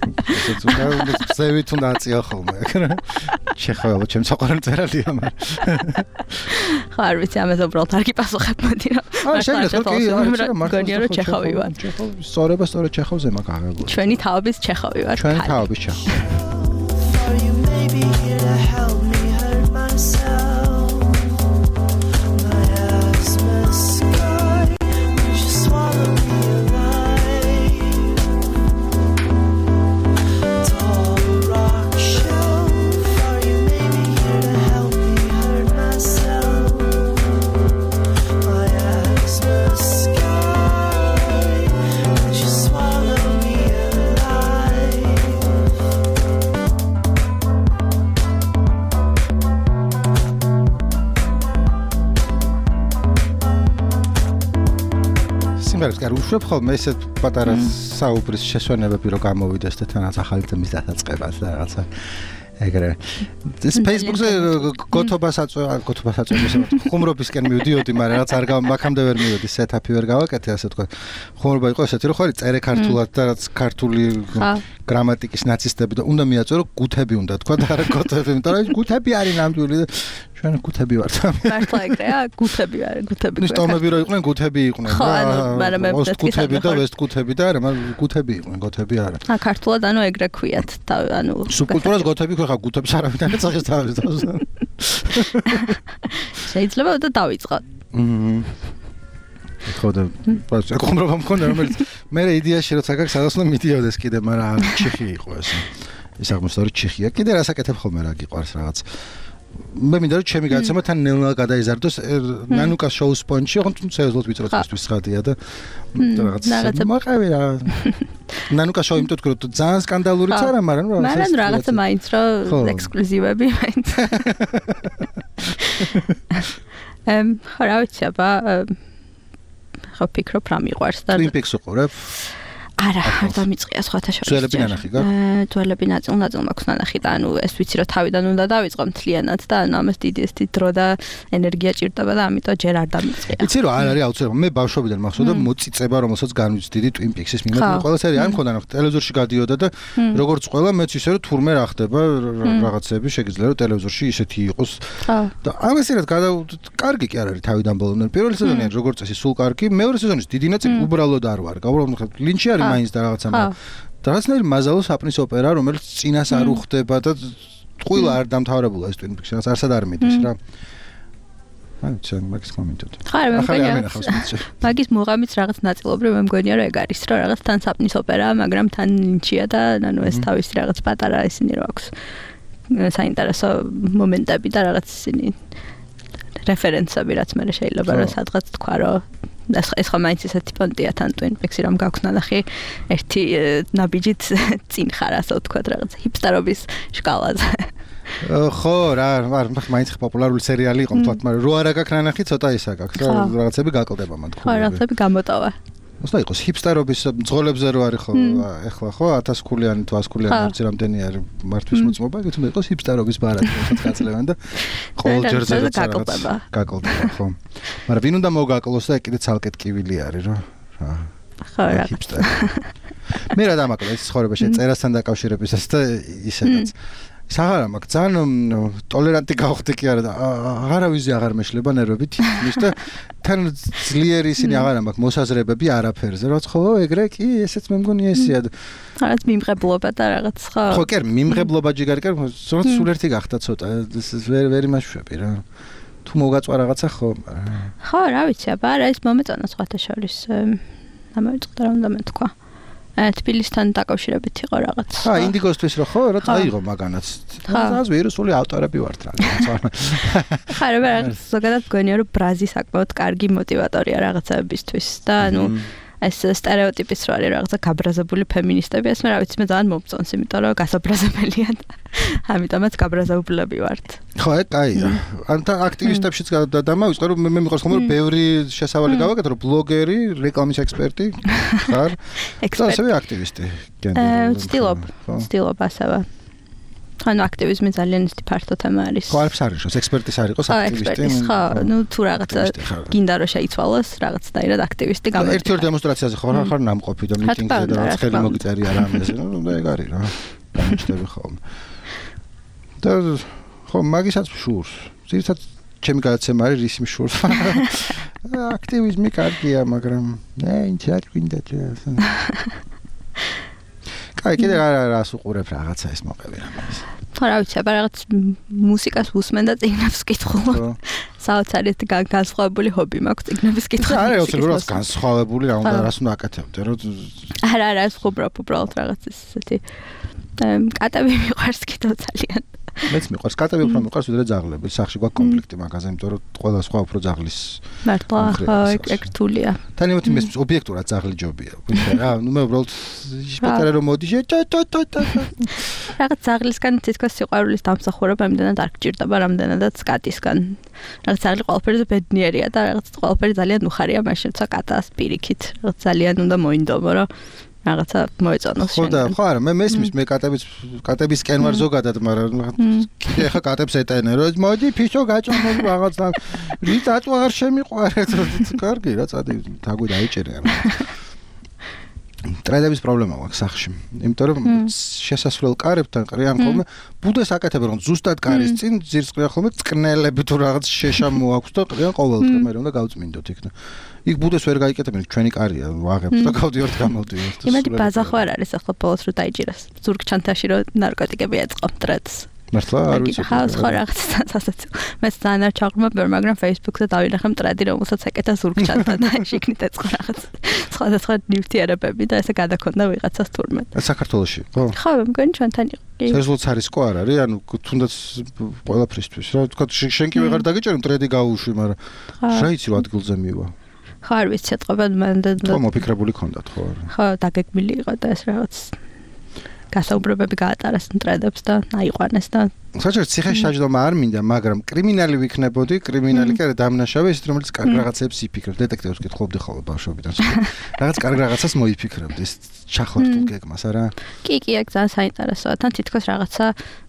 ეს უნდა ზევით უნდა აწია ხოლმე. ჩეხოვი ჩემ საყვარელი წერალია მაგრამ. ხო არ ვიცი ამაზე უბრალოდ არ გიპასუხებ მოდი რა. გონია რომ ჩეხოვი ვარ. სწორება სწორედ ჩეხოვზე მაქვს აღებული. ჩვენი თაობის ჩეხოვი ვარ. ჩვენი თაობის ჩეხოვი. არ უშვებ ხოლმე ესეთ პატარა საუბრის შესვენებები რომ გამოვიდეს და თანაც ახალი თემის დასაწყებას და რაღაცა ეგრე ეს Facebook-ზე გოთობას აწვევს ხუმრობისკენ მივდიოდი მაგრამ რაღაც არ მაგამდე ვერ მივედი სეტაპი ვერ გავაკეთე ასე თქვა ხუმრობა იყო ესეთი რომ ხარი წერე ქართულად და რაც ქართული გრამატიკის ნაცისტები და უნდა მიაწერო გუთები უნდა თქვა და არა გოთები იმიტომ რომ გუთები არის ნამდვილი და ჩვენ გუთები ვართ. მართლა ეგრეა, გუთები არის, გუთები. ნუ სტომები რო იყვნენ, გუთები იყვნენ. ხო, მაგრამ მე გუთები და ვესტ გუთები და არა, მაგრამ გუთები იყვნენ, გოთები არა. ქართულად ანუ ეგრე ქვიათ, ანუ სუბკულტურას გოთები ხო ხა გუთებს არავითარ წაღის თავის თავს. შეიძლება და დავიწყოთ. ხოდა ხომრობა მქონდა რომელიც მე იდეაში როცა გაქვს სადაც უნდა მიდიოდეს კიდე, მაგრამ ჩიხი იყო ეს. ეს აღმოსავლეთ ჩიხია. კიდე რასაკეთებ ხოლმე რა გიყვარს რაღაც. მე მინდა რომ ჩემი გადაცემა თან ნელა გადაიზარდოს ნანუკას შოუ სპონჯი, ხო სერიოზულად ვიწროთისთვის ხადია და რაღაცა მოყევი რა. ნანუკას შოუ იმიტომ რომ ძალიან სკანდალურიც არა, მაგრამ რაღაცა მაინც რომ ექსკლუზივები მაინც. ხო რა ვიცი, აბა ხო ფიქრობ რა მიყვარს და Twin Peaks უყურებ? არა, არ დამიწყია სხვათა შორის. ძველები ნანახი გაქვს? ძველები ნაწილ მაქვს ნანახი და ანუ ეს ვიცი რომ თავიდან უნდა დავიწყო მთლიანად და ანუ ამას დიდი ეს დრო და ენერგია ჭირდება და ამიტომ ჯერ არ დამიწყია. იცი რომ არ არის აუცილებლად. მე ბავშვობიდან მახსოვდა მოწიწება რომელსაც განვიცდიდი Twin Peaks-ის მიმართ. ყველა სერია არ მქონდა ნახე, ტელევიზორში გადიოდა და როგორც ყველა მეც ისე რომ თურმე რა ხდება რაღაცები შეგიძლია რომ ტელევიზორში ისეთი იყოს. და ამასერად კარგი კი არ არის თავიდან ბოლომდე. პირველი სეზონი როგორც წესი სულ კარგი, მეორე სეზონის დიდი ნაწილი უბრალოდ არ ვარ. უბრალოდ ლინჩი არის მაინც და რაღაცა და რაღაცნაირი მაზალო საპნის ოპერა რომელიც წინას არ უხდება და ტყუილა არ დამთავრებულა ეს Twin Peaks-ი, არც არ მიდის რა. აი, მაგის კომენტები. მაგის მუღამიც რაღაც ნაწილობრივ მე მგონია რომ ეგ არის, რომ რაღაც თან საპნის ოპერაა, მაგრამ თან ლინჩია და ანუ ეს თავისი რაღაც პატარა ისინი რო აქვს. საინტერესო მომენტები და რაღაც ისინი რეფერენსები რაც მე შეიძლება რომ სადღაც თქვა რომ ეს ხომ მაინც ესეთი პონტია თან Twin Peaks-ი რომ გაქვს ნახი ერთი ნაბიჯით წინ ხარ ასე ვთქვათ რაღაც ჰიპსტერობის შკალაზე. ხო, რა, მაინც პოპულარული სერიალი იყო, თქვათ, მაგრამ რო არა გაქვს ნანახი, ცოტა ისა გაქვს, რაღაცები გაკლდება მან თქვა. ხო, რაღაცები გამოტოვა. მოსდა იყოს ჰიპსტერობის მძღოლებზე რო არის ხო, ეხლა ხო 1000 ქულიანი თუ 100 ქულიანი არც რამდენი არის მართვის მოწმობა, ეგ თუნდაც იყოს ჰიპსტერობის ბარათი, რაღაც გაწლევან და ყოველ ჯერზე გაკლდება, ხო. მაგრამ ვინ უნდა მოგაკლოს და კიდე ცალკე ტკივილი არის, რა. ხო, რა. ჰიპსტერი. მე რა დამაკლა ეს ცხოვრებაში წერასთან დაკავშირებისას და ისედაც საღარა მაგ ძალიან ტოლერანტი გავხდი კი არა და აღარავიზე აღარ მეშლება ნერვებით ის და თან ძლიერი ისინი აღარა მაქვს მოსაზრებები არაფერზე რაც ხო ეგრე კი ესეც მე მგონი ესეა რაღაც მიმღებლობა და რაღაც ხო ხო კი მიმღებლობა ჯიგარი კი სულ ერთი გახდა ცოტა ვერ იმაშვები რა თუ მოგაწვა რაღაცა ხო რა ვიცი აბა რა ის მომეწონა სხვათა შორის ამოვიწყდა რომ და მე თქვა თბილისთან დაკავშირებით იყო რაღაც. ინდიგოსთვის რო ხო, რა წაიღო მაგანაც. ეს ვირუსული ავტორები ვართ რა. ხარ რაღაც ზოგადად გონია რომ ბრაზი საკმაოდ კარგი мотиваტორია რაღაცებისთვის და ანუ ეს стереოტიპის რო არის რაღაცა გაბრაზებული ფემინისტები, ეს მე რა ვიცი მე ძალიან მომწონს, იმიტომ რომ გასაბრაზებელია და ამიტომაც გაბრაზებულები ვართ. ხო, კაია. ანთა აქტივისტებშიც დამავიწყე რომ მე მიყვარს ხომ რომ ბევრი შესავალი გავაკეთე რომ ბლოგერი, რეკლამის ექსპერტი ხარ. ასევე აქტივისტი. ვცდილობ ასევე. ანუ აქტივიზმი ძალიან ისეთი ფართო თემა არის. ხო, არც არის რომ ექსპერტის არ იყოს აქტივისტი. ხო, ნუ თუ რაღაცა გინდა რომ შეიცვალოს, რაღაცნაირად აქტივისტი გამოიწვია. ერთ-ერთ დემონსტრაციაზე ხარ ნამყოფი და მიტინგზე და რაღაც ხელი მოგიწერია რამეზე, ნუ ეგ არის რა. გამიჩნდები ხოლმე. და ხო, მაგისაც შურს. ძირითადად ჩემი გადაცემა არის რის მშურს. აქტივიზმი კარგია, მაგრამ ინც არ გვინდა ეს. კაი, კიდე რას უყურებ რაღაცა ეს მოყევი რამეს. ხო, რა ვიცი, აბა რაღაც მუსიკას უსმენ და წიგნებს ვკითხულობ. საოცარით განსხვავებული ჰობი მაქვს წიგნების კითხვა. არა, უცებურად განსხვავებული რა უნდა რას უნდა აკეთებდე, რომ არა, უბრალოდ რაღაც ესეთი კატები მიყვარს კიდევ ძალიან. მეც მიყვარს კატები უფრო მიყვარს ვიდრე ძაღლები. სახში გვაქვს კონფლიქტი მაგაზე, იმიტომ რომ ყველა სხვა უფრო ძაღლის მართლა ეგ რთულია. თან იმით მე ობიექტურად ძაღლი ჯობია. რა, ნუ მე უბრალოდ შეტარე რომ მოდი რაღაც ძაღლისგან თითქოს სიყვარულის დამსახურება იმდენად არ გჭირდება, რამდენადაც კატისგან. რაღაც ძაღლი ყველაფერზე ბედნიერია და რაღაც ყველაფერი ძალიან უხარია, მაშინ როცა კატას პირიქით, რაღაც ძალიან უნდა მოინდომო, რომ რაღაცა მოეწონოს შენ. ხო და ხო არა, მე მესმის მე კატებისკენ ვარ ზოგადად, მაგრამ კიდე ხა კატებს ეტენე, რომ მოდი ფიშო გაჭამო რაღაც რით აწვა არ შემიყვარეთ. კარგი რა, წადი თაგვი დაიჭერე. ტრედების პრობლემა აქვს სახში. იმიტომ რომ შესასვლელ კარებთან ყრიან ხოლმე ბუდეს აკეთებენ, რომ ზუსტად კარის წინ ძირს ყრიან ხოლმე წკნელები თუ რაღაც შეშა მოაქვს და ყრიან ყოველდღე, მე რომ და გავწმინდოთ იქ. იქ ბუდეს ვერ გაიკეთებენ, ჩვენი კარია, ვაღებთ და გავდივართ გამოვდივართ. იმედი ბაზა ხო არ არის ახლა ბოლოს რო დაიჭირას. ზურგჩანთაში რო ნარკოტიკები ეწყო ტრედს. მართლა არ ვიცი. ხო რაღაცა სასაცილო. მე ძალიან არ ჩაღრმავ, მაგრამ Facebook-ზე დავინახე ტრედი, რომელსაც ეკეთა ზურგჩანთა და შიგნით ეწყო რაღაც სხვადასხვა ნივთიერებები და ესე გადაქონდა ვიღაცას თურმე. საქართველოში, ხო? ხო, მგონი ჩვენთან იყო. სერიოზულად არისკო არ არის, ანუ თუნდაც ყველაფრისთვის რა, თქვა შენ კი ვეღარ დაგიჭერე ტრედი გაუშვი, მაგრამ რა იცი რა ადგილზე მივა. ხო არ ვიცი ეთყობენ მან და ხო მოფიქრებული ქონდათ ხო არა ხო დაგეგმილი იყო და ეს რაღაც გასაუბრებები გაატარეს ტრედებს და აიყვანეს და საერთოდ ციხეში დაჯდომა არ მინდა მაგრამ კრიმინალი ვიქნებოდი კრიმინალი კი არა დამნაშავე ის რომელიც კარგ რაღაცებს იფიქრებს დეტექტივს კითხულობდი ხოლმე ბავშვობიდან რაღაც კარგ რაღაცას მოიფიქრებდი ეს ჩახლართულ გეგმას არა კი ეგ ძალიან საინტერესოა თან თითქოს რაღაცა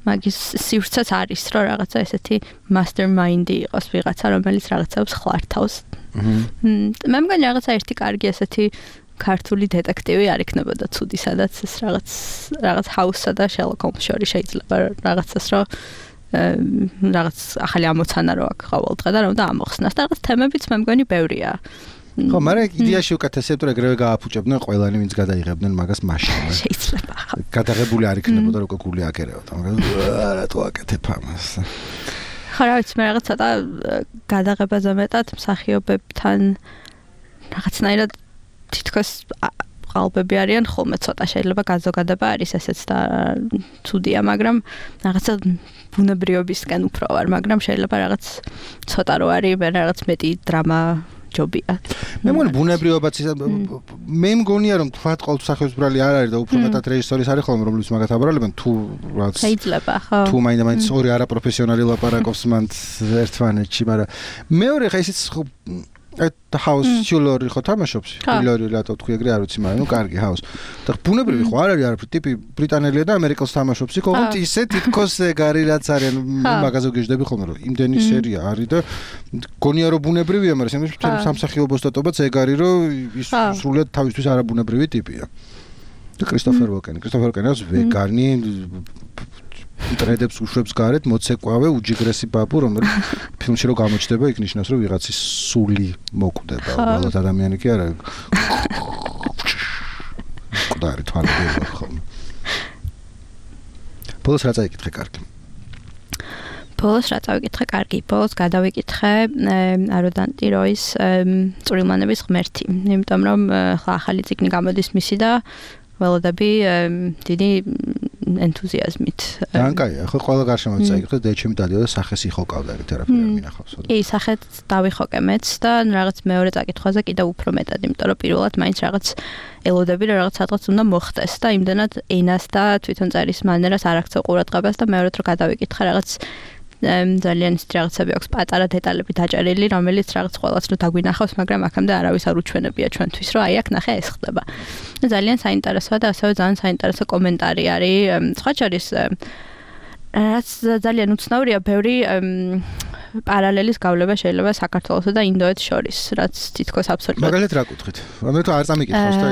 მაგის სივრცეც არის რომ რაღაცა ესეთი mastermind-ი იყოს ვიღაცა რომელიც რაღაცებს ხლართავს მე მგონი რაღაცა ერთი კარგი ესეთი ქართული დეტექტივი არ იქნებოდა ცუდი სადაც ეს რაღაც ჰაუსსა და შერლოკ ჰოლმს შორის შეიძლება რაღაცას რომ რაღაც ახალი ამოცანა რო აქვს ყოველდღე და რომ და ამოხსნას და რაღაც თემებიც მე მგონი ბევრია ხო, მაგრამ იდეაში უკეთესია, თუ ეგრევე გააფუჭებდნენ ყველანი, ვინც გადაიღებდნენ მაგას მაშინ. შეიძლება, ხო. გადაღებული არ იქნებოდა, რომ გული აკერებდა, მაგრამ რატო აკეთებ ამას? ხო, რა ვიცი, მე რაღაც ცოტა გადაღებაზე მეტად მსახიობებთან რაღაცნაირად თითქოს ყალბები არიან ხოლმე ცოტა შეიძლება გაზოგადება არის ესეც და ცუდია, მაგრამ რაღაცა ბუნებრიობისკენ უფრო ვარ, მაგრამ შეიძლება რაღაც ცოტა რო არის, მე რაღაც მეტი დრამა ჯობია. მე მგონი ბუნებრიობაც მე მგონია რომ თქვა ყოველ მსახიობს ბრალი არ არის და უფრო მეტად რეჟისორის არის ხოლმე რომლის მაგათ აბრალებენ თუ რაც შეიძლება ხო თუ მაინც ორი არაპროფესიონალი ლაპარაკობს მან ერთმანეთში, მაგრამ მეორე ხა ისიც ჰაუს ჩულორი ხო თამაშობს? ჩულორი რატო თქვი ეგრე არ ვიცი, მაგრამ ნუ კარგი ჰაუს. და ბუნებრივი ხო არ არის არაფერი, ტიპი ბრიტანელია და ამერიკელს თამაშობს, იქ ისე თითქოს ეგარი რაც არის, მაგაზე გეждები ხოლმე რომ იმდენი სერია არის და გონია რომ ბუნებრივია, მაგრამ სამსახიობო სტატობაც ეგ არის რომ ის სრულად თავისთვის არაბუნებრივი ტიპია. და კრისტოფერ ვოკენს ვეგანი ტრედებს უშვებს გარეთ მოცეკვავე უჯიგრესი ბაბუ, რომელიც ფილმში რო გამოჩნდება, იქ ნიშნავს რომ ვიღაცის სული მოკვდება, უბრალოდ ადამიანი კი არა. ყდარი თვალები ხოლმე. ბოლოს რა წაიკითხე კარგი? ბოლოს გადავიკითხე აროდანტი როის წვრილმანების ღმერთი, იმიტომ რომ ხა ახალი წიგნი გამოდის მისი და ველოდები დიდი ენთუზიაზმით. ძალიან კაია, ხო ყველა გარშემო წაიკითხე და ჩემი დადიოდა სახეს იხოკავდა ერთ თერაპია მინახავს. კი, სახეთ დავიხოკე მეც და რაღაც მეორე წაკითხვაზე კიდევ უფრო მეტად, იმიტომ რომ პირველად მაინც რაღაც ელოდები რომ რაღაც სადღაც უნდა მოხდეს და იმდანად ენას და თვითონ წერის მანერას არ აქცევ ყურადღებას და მეორედ რომ გადავიკითხე რაღაც ძალიან ისეთი რაღაცები აქვს პატარა დეტალები დაჭერილი, რომელიც რაღაც ყველას რო დაგვინახავს, მაგრამ აქამდე არავის არ უჩვენებია ჩვენთვის, რომ აი აქ ნახე ეს ხდება. ძალიან საინტერესოა და ასევე ძალიან საინტერესო კომენტარი არის. სხვა შორის რაც ძალიან უცნაურია, ბევრი პარალელის გავლება შეიძლება საქართველოსა და ინდოეთს შორის, რაც თითქოს აბსოლუტურად. მაგალითად რა კუთხით? ამიტომ არ წამიკითხავს და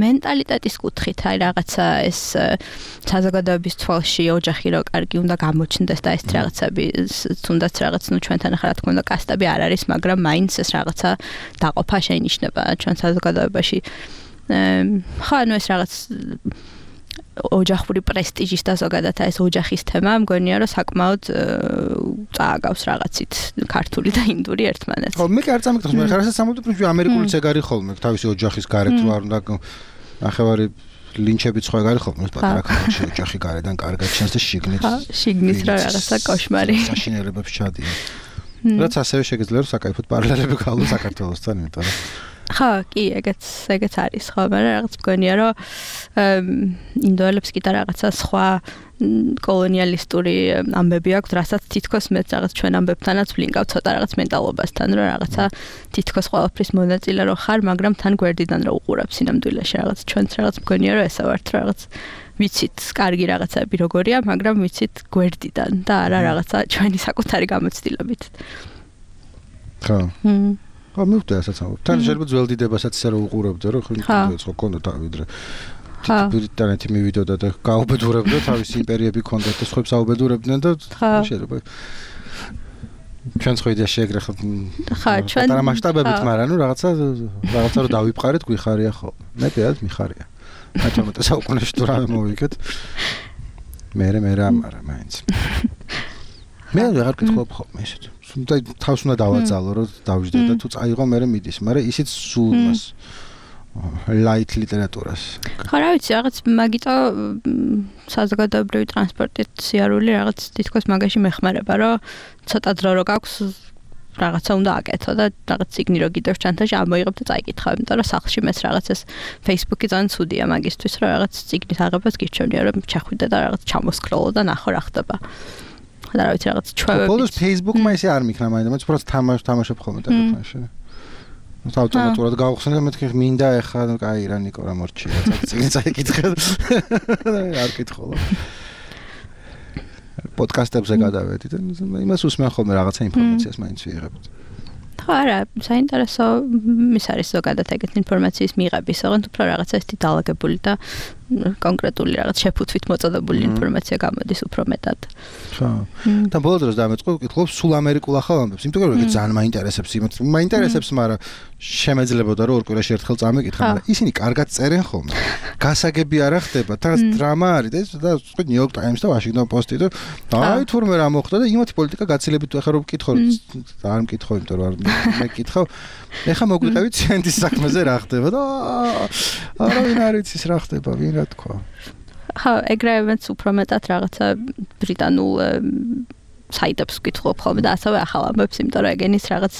მენტალიტეტის კუთხით, აი რაღაცა ეს საზოგადოების თვალში ოჯახი რო კარგი უნდა გამოჩნდეს და ეს რაღაცები თუნდაც რაღაც ნუ ჩვენთან ახლა რა თქმა უნდა კასტები არ არის, მაგრამ მაინც ეს რაღაცა დაყოფა შეინიშნება ჩვენ საზოგადოებაში. ხო, ანუ ეს რაღაც ოჯახური პრესტიჟის და ზოგადად ეს ოჯახის თემა მგონია რომ საკმაოდ წააგავს რაღაცით ქართული და ინდური ერთმანეთს. ხო, მე კი არ წამიკითხავს, მაგრამ ხარასაც სამუდამოდ ამერიკულიც ეგ არის ხოლმე, თავისი ოჯახის გარეთ რა უნდა ნახევარი ლინჩებიც ხო ეგ არის ხოლმე, პატარა ქალაქში ოჯახი გარედან კარგად ჩანს და შიგნით რა რაღაცა კოშმარი. საშინელებებს ჩადიან. რაც ასევე შეგიძლია რომ საკაიფოდ პარალელები გავყო საქართველოსთან, იმიტომ რომ ხო, კი, ეგეც არის, ხო, მაგრამ რაღაც მგონია რომ ინდოელებს კიდე რაღაცა სხვა კოლონიალისტური ამბები აქვს, რასაც თითქოს მეც რაღაც ჩვენ ამბებთანაც ვლინკავ ცოტა რაღაც მენტალობასთან, რომ რაღაცა თითქოს ყველაფრის მონაწილე რო ხარ, მაგრამ თან გვერდიდან რო უყურებ სინამდვილეში რაღაც ჩვენც რაღაც მგონია რომ ესა ვართ რაღაც ვიცით კარგი რაღაცები როგორია, მაგრამ ვიცით გვერდიდან და არა რაღაცა ჩვენი საკუთარი გამოცდილებით. ხო. ხო, მივხვდი ასაც ამბობ. თან შეიძლება ძველდიდებასაც ისე რომ უყურებდე, რომ ხო კონდა თავიდრე. ბრიტანეთი მივიდოდა და გაუბედურებდა თავის იმპერიები კონდეთ და სხვებს აუბედურებდნენ და შეიძლება ჩვენც ხო იდეა შეგრე ხო ჩვენ პატარა მასშტაბებით, მაგრამ ნუ რაღაცა რო დავიფყარეთ გვიხარია ხო. მე პირადად მიხარია. მე საუკუნეში თუ რამე მოვიქეთ. მე ამარა მაინც. მე აღარ გითხობ ხოლმე ესეთ. და თავს უნდა დავაძალო რომ დავждე და თუ წაიღო მე მიდის, მაგრამ ისიც სულ მას light ლიტერატურას. ხო, რა ვიცი, რაღაც მაგიტო საზოგადოებრივი ტრანსპორტით სიარული რაღაც თითქოს მაგაში მეხმარება, რომ ცოტა დრო რო გაქვს რაღაცა უნდა აკეთო და რაღაც ციგნი რო გიდევ ჩანთაში ამოიღებ და წაიკითხავ, იმიტომ რომ სახლში მეც რაღაც ეს Facebook-ი ძალიან ცუდია მაგისთვის, რომ რაღაც ციგნის აღებას გირჩევნია, რომ ჩახვიდე და რაღაც ჩამოსკროლო და ნახო რა ხდება. და რა ვიცი რაღაც ჩვევები. ბოლოს Facebook-მა ისე არ მიქნა მაინც, უბრალოდ თამაშობ ხოლმე ტელეფონში. ავტომატურად გავხსენე და მეთქი მინდა ეხლა კაი რა ნიკო რა მორჩია, წიგნი წაიკითხე. არ კითხულობ. პოდკასტებზე გადავედი და იმას უსმენ ხოლმე რაღაცა ინფორმაციას მაინც ვიღებთ. ხო, არა, საინტერესო ის არის ზოგადად ეგეთ ინფორმაციის მიღების, ოღონდ უფრო რაღაცა ისეთი დაალაგებული და კონკრეტული რაღაც შეფუთვით მოწოდებული ინფორმაცია გამოდის უფრო მეტად. ხო. და ბოლო დროს დამეწყო ვკითხულობ სულ ამერიკულ ახალ ამბებს. იმიტომ რომ ეგ ძალიან მაინტერესებს, მაინტერესებს, მაგრამ შემეძლებოდა რომ ორ კვირაში ერთხელ წამეკითხა, მაგრამ ისინი კარგად წერენ ხოლმე. გასაგები არ ხდება, თან დრამა არის და სხვა New York Times და Washington Post-ი და აი თურმე რა მოხდა და იმათი პოლიტიკა გაცილებით ახლა რომ ვკითხო, არ მკითხო, იმიტომ რომ მე მკითხავ. ეხა მოგვიყევით ცენტის საქმეზე რა ხდება და არავინ არ იცის რა ხდება, ვინ რა თქვა. ხო, ეგრევე უფრო მეტად რაღაცა ბრიტანულ საიტებს ვკითხულობ ხოლმე და ასევე ახალ ამბებს, იმიტომ რომ ეგენის რაღაც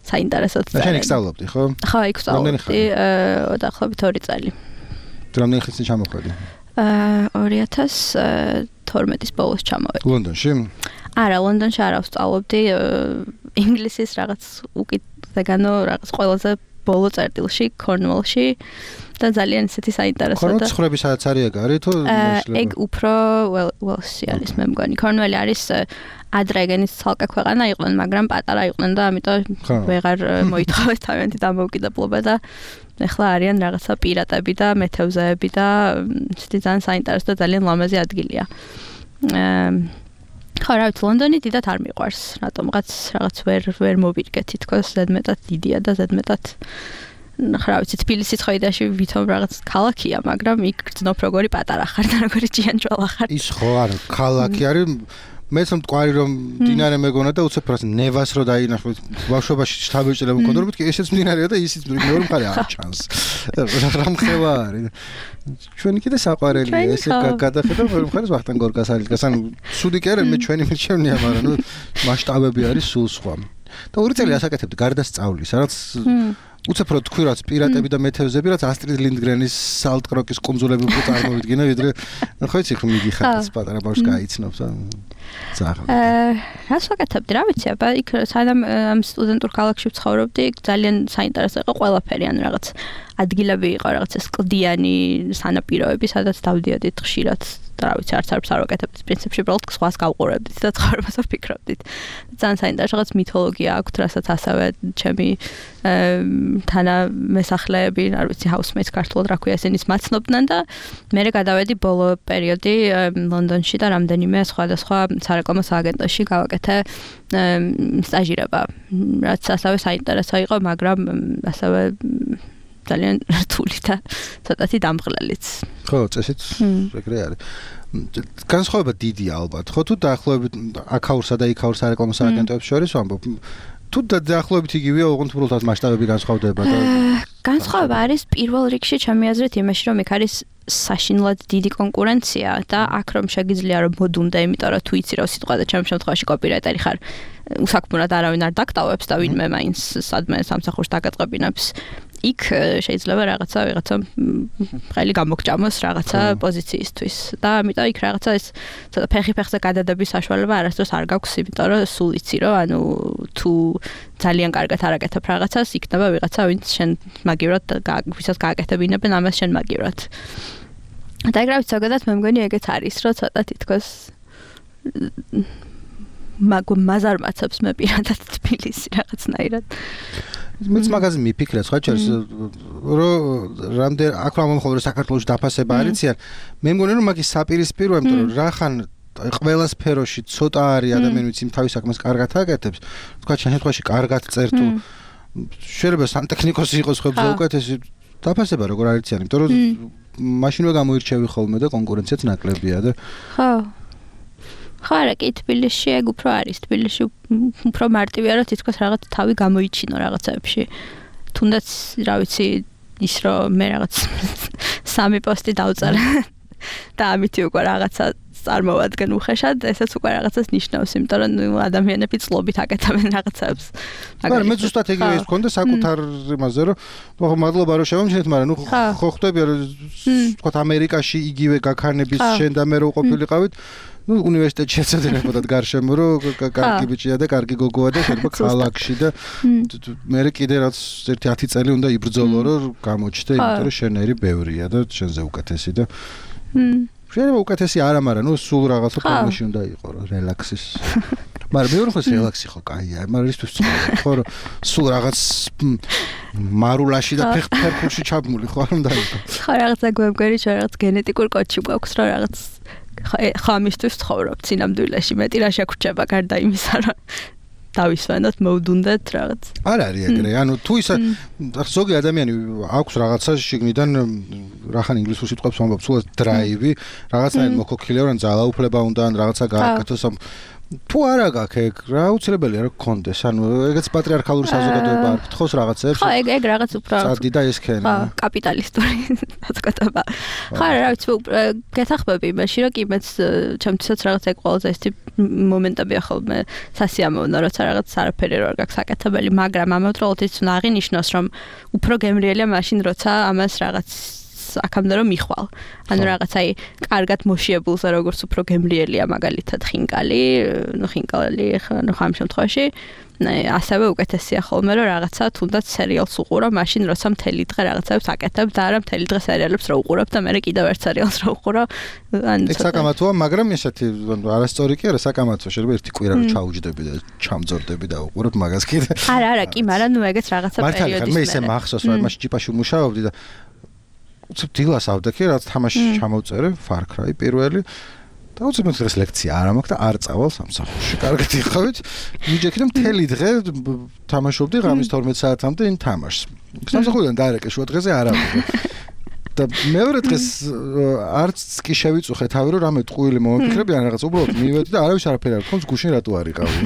საინტერესოც წერენ. შენ იქ სწავლობდი, ხო? ხო, იქ სწავლობდი, დაახლოებით 2 წელი. რამდენი ხნის წინ ჩამოხვედი? 2012-ის ბოლოს ჩამოვედი. ლონდონში? არა, ლონდონში არ ვსწავლობდი, ინგლისის რაღაც უკიდეგანო რაღაც ყველაზე ბოლო წერტილში, Cornwall-ში და ძალიან ისეთი საინტერესო და Cornwall ხრები სადაც არის ეგ არის თუ ეგ უფრო Wales-ი არის მე მგონი. Cornwall-ი არის ადრეგენის ცალკე ქვეყანა იყვნენ, მაგრამ პატარა იყვნენ და ამიტომ ვეღარ მოითხოვეს თავიანთი დამოუკიდებლობა და ეხლა არიან რაღაცა პირატები და მეთევზეები და ისეთი ძალიან საინტერესო და ძალიან ლამაზი ადგილია. ხო, რა ვიცი, ლონდონი დიდად არ მიყვარს, რატომღაც რაღაც ვერ მოვირგე თითქოს, ზედმეტად დიდია და ზედმეტად რა ვიცი, თბილისი ცხოიდაში ვითომ რაღაც ქალაქია, მაგრამ იქ გრძნობ როგორი პატარა ხარ და როგორი ჭიანჭველა ხარ. ის ხო არა, ქალაქი არის მეც მტკვარი რომ მდინარე მეგონა და უცებ რას ნევას რო დაინახავთ ბავშვობაში შთაბეჭდილება მქონდა რომ მეთქი ესეც მდინარეა და ისიც მეორე მხარე არ ჩანს რა მხევა არის ჩვენი კიდე საყვარელია ესე გადახედავ მეორე მხარეს ვახტანგ გორგას არის გასან სუდი კი არა მე ჩვენი მირჩევნია მაგრამ ნუ მასშტაბები არის სულ სხვა და 2 წელი ასაკეთებდი გარდა სწავლის რაც უცებ რო თქვი რაც პირატები და მეთევზები რაც ასტრიდ ლინდგრენის სალტკროკის კუნძულები უფრო წარმოვიდგინე ვიდრე ხო იცი ხომ მიდიხარ პატარა ბავშვს გაიცნობს რას ვაკეთებდი რა ვიცი აბა იქ სანამ ამ სტუდენტურ ქალაქში ვცხოვრობდი ძალიან საინტერესო იყო ყველაფერი ან რაღაც ადგილები იყო რაღაც ეს კლდიანი სანაპიროები სადაც დავდიოდით ხშირად და რა ვიცი არც არ ვაკეთებდი პრინციპში უბრალოდ სხვას გავყურებდით და ცხოვრებას ვფიქრობდით ძალიან საინტერესო რაღაც მითოლოგია აქვს რასაც ასევე ჩემი თანამესახლეები არ ვიცი housemates ქართულად რა ქვია ესენის მაცნობდნენ და მე გადავედი ბოლო პერიოდი ლონდონში და რამდენიმე სხვადასხვა სარეკლამო სააგენტოში გავაკეთე სტაჟირება რაც ასევე საინტერესო იყო მაგრამ ასევე ძალიან რთული და ცოტათი დამღლელიც. ხო, წესით ეგრე არის. განსხვავება დიდია ალბათ. ხო, თუ დაახლოებით აქაურსა და იქაურს სარეკლამო სააგენტოებს შორის ვამბობ. თუ დაახლოებით იგივეა, ოღონდ უბრალოდ მასშტაბები განსხვავდება და განსხვავება არის პირველ რიგში ჩემი აზრით იმაში, რომ იქ არის საშინლად დიდი კონკურენცია და აქ რომ შეგიძლია რომ მოდუნდე, იმიტომ რომ თუ იცი რომ სიტყვა და ჩემ შემთხვევაში კოპირაიტერი ხარ, უსაქმურად არავინ არ დაკტავებს და ვინმე მაინც სადმე სამსახურს დაგაწყებინებს. იქ შეიძლება ვიღაცა ხელი გამოგჭამოს რაღაცა პოზიციისთვის და ამიტომ იქ რაღაცა ეს ცოტა ფეხზე გადადების საშუალება არასდროს არ გაქვს, იმიტომ რომ სულ იცი რომ ანუ თუ ძალიან კარგად არაკეთებ რაღაცას, იქნება ვიღაცა ვინც შენ მაგივრად ვისაც გააკეთებინებენ ამას შენ მაგივრად. და ეგ რა ვიცი, ზოგადად მე მგონი ეგეც არის, რომ ცოტა თითქოს მაზარმაცებს მე პირადად თბილისი რაღაცნაირად. მეც მაგაზე მიფიქრე, სხვა ჩერს რომ რამდენ აქ რა მომხდარა საქართველოს დაფასება არიციან. მე მგონი რომ მაგის საპირისპიროა, იმიტომ რომ რახან ყველა სფეროში ცოტა არის ადამიანი, ვინც თავის საქმეს კარგად აკეთებს. თქვა შენ შემთხვევაში კარგად წერ თუ შეიძლება სანტექნიკოსი იყოს ხებზე უკეთესი დაფასება როგორ არიციან, იმიტომ რომ მაშინვე გამოირჩევი ხოლმე და კონკურენციაც ნაკლებია და ხო ხო არა კი თბილისში ეგ უფრო არის თბილისში უფრო მარტივია რომ თითქოს რაღაც თავი გამოიჩინო რაღაცებში თუნდაც რა ვიცი ის რომ მე რაღაც 3 პოსტი დავწერე და ამით უკვე რაღაცა წარმოვადგენ უხეშად ესეც უკვე რაღაცას ნიშნავს იმიტომ რომ ნუ ადამიანები წლობით აკეთებენ რაღაცებს მაგრამ მე ზუსტად ეგრე ის მქონდა საკუთარ იმაზე რომ ხო მადლობა რომ შევამჩნიეთ მაგრამ ნუ ხო ხვდები რომ თქვა ამერიკაში იგივე გაქარნების შენ და მე რო ყოფილიყავით ну უნივერსიტეტში ეცოდინებოდათ გარშემო რომ კარგი ბიჭია და კარგი გოგოა და შეიძლება ქალაქში და მე კიდე რაც 1-10 წელი უნდა იბრძოლო რომ გამოჩდე იმიტომ რომ შენერი ბევრია და შენზე უკეთესი და შეიძლება უკეთესი არა მაგრამ ну სულ რაღაცა ფორმაში უნდა იყო რა რელაქსის მაგრამ მეორე მხარეს რელაქსი ხო კაია მაგრამ ისთვის ხო რომ სულ რაღაც მარულაში და ფერფულში ჩაბმული ხო არ უნდა იყო. ხო რაღაცა გვემგერი რაღაც გენეტიკურ კოდში გვაქვს რომ რაღაც ხამისთვის ცხოვრობ წინამდვილეში მეტი რა შეგვჭება გარდა იმისა რომ დავისვენოთ მოვდუნდეთ რაღაც. არ არის ეგრე, ანუ თუ ისა ზოგი ადამიანი აქვს რაღაცა შიგნიდან რახან ინგლისურ სიტყვებს ვამბობ, სულ დრაივი, რაღაცნაირად მოქოქილეო, ან ძალაუფლება უნდა, ან რაღაცა გააკეთოს. თუ არა გაქვს ეგ, რა აუცილებელია რომ გქონდეს. ანუ ეგეც პატრიარქალური საზოგადოება არ გთხოვს რაღაცებს. ხო, ეგ რაღაც უფრო წადი და ესქენი. ხო, კაპიტალისტური საზოგადოება. ხო, რა ვიცი, გეთახმები იმაში, რომ კი მეც ჩემთვისაც რაღაც ეგ ყველაზე ეს მომენტებია ხოლმე სასიამოვნო, როცა რაღაც არაფერი არ გაქვს აკეთებელი, მაგრამ ამავდროულად ის უნდა აღინიშნოს, რომ უფრო გემრიელია მაშინ, როცა ამას რაღაც აქამდე რომ მიხვალ. ანუ რაღაც აი კარგად მოშიებულზე როგორც უფრო გემრიელია მაგალითად ხინკალი, ნუ ხინკალი ხან ამ შემთხვევაში ასევე უკეთესია ხოლმე რომ რაღაცა თუნდაც სერიალს უყურო, მაშინ როცა მთელი დღე რაღაცებს აკეთებ და არა მთელი დღე სერიალებს რო უყურებ და მე კიდევ ერთ სერიალს რო უყურო. ანუ საკამათოა, მაგრამ ესეთი არასწორი კი არა საკამათო, შეიძლება ერთი კვირა რო ჩაუჯდები და ჩამძორდები და უყურებ მაგას კიდე. არა, კი, მაგრამ ნუ ეგეც რაღაცა პერიოდის მე ისე მახსოვს რომ მაშინ ჭიპაში ვმუშაობდი და უცებ დილას ავდექი, რაც თამაში ჩამოვწერე, Far Cry პირველი. და უცებ დღეს ლექცია არ მაქვს და არ წავალ სამსახურში. კარგად იხავით. მიჯექი და მთელი დღე თამაშობდი ღამის 12 საათამდე იმ თამაშს. სამსახურიდან დაერეკე შუა დღეზე არ ავიდე. და მეორე დღეს არც კი შევიწუხე თავი რომ რამე ტყუილი მომიფიქრები ან რაღაც უბრალოდ მივედი და არავის არაფერი არ მქონს გუშინ რატო არ იყავი.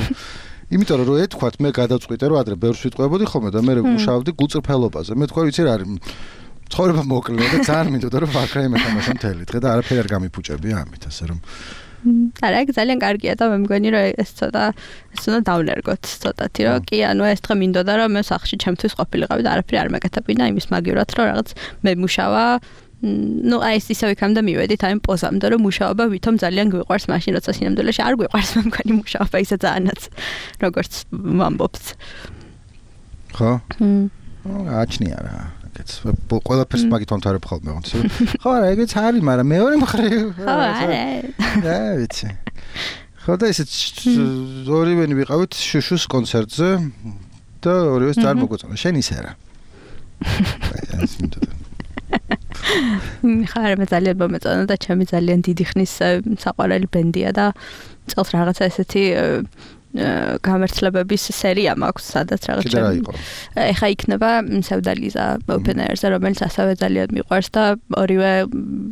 იმიტომ რომ ეთქვათ მე გადავწყვიტე რომ ადრე ბევრს ვიტყვებოდი ხოლმე და მე მუშაობდი გულწრფელობაზე. მე თქვა ვიცი რა არის ცხოვრება მოკლეა და ძალიან მინდოდა რომ Far Cry მეთამაშო მთელი დღე და არაფერი არ გამიფუჭები ამით ასე რომ არა ეგ ძალიან კარგია და მე მგონი რომ ეს ცოტა დავნერგოთ ცოტათი რომ კი ანუ ეს დღე მინდოდა რომ მე სახში ჩემთვის ყოფილიყავი და არაფერი არ მეკეთებინა იმის მაგივრად რომ რაღაც მე მუშავა ну აი ეს ისევ იქამდე მივედით აი პოზამდე რომ მუშაობა ვითომ ძალიან გვიყვარს მაშინ როცა სინამდვილეში არ გვიყვარს მე მგონი მუშაობა ისე ძალიანაც როგორც ვამბობთ ხო აჩნია რა ყველაფერს მაგით ვამთავრებ ხოლმე ხო არა ეგეც არის მაგრამ მეორე მხრივ ხო არა რა ვიცი ხო და ისე ორივენი ვიყავით შუშუს კონცერტზე და ორივეს ძალიან მოგვეწონა შენ ისე რა ეს მინდოდა ხარ მე ძალიან მომეწონა და ჩემი ძალიან დიდი ხნის საყვარელი ბენდია და წელს რაღაცა ესეთი გამართლებების სერია მაქვს სადაც რაღაცა ეხა იქნება სევდალიზა open air-ზე რომელიც ასევე ძალიან მიყვარს და ორივე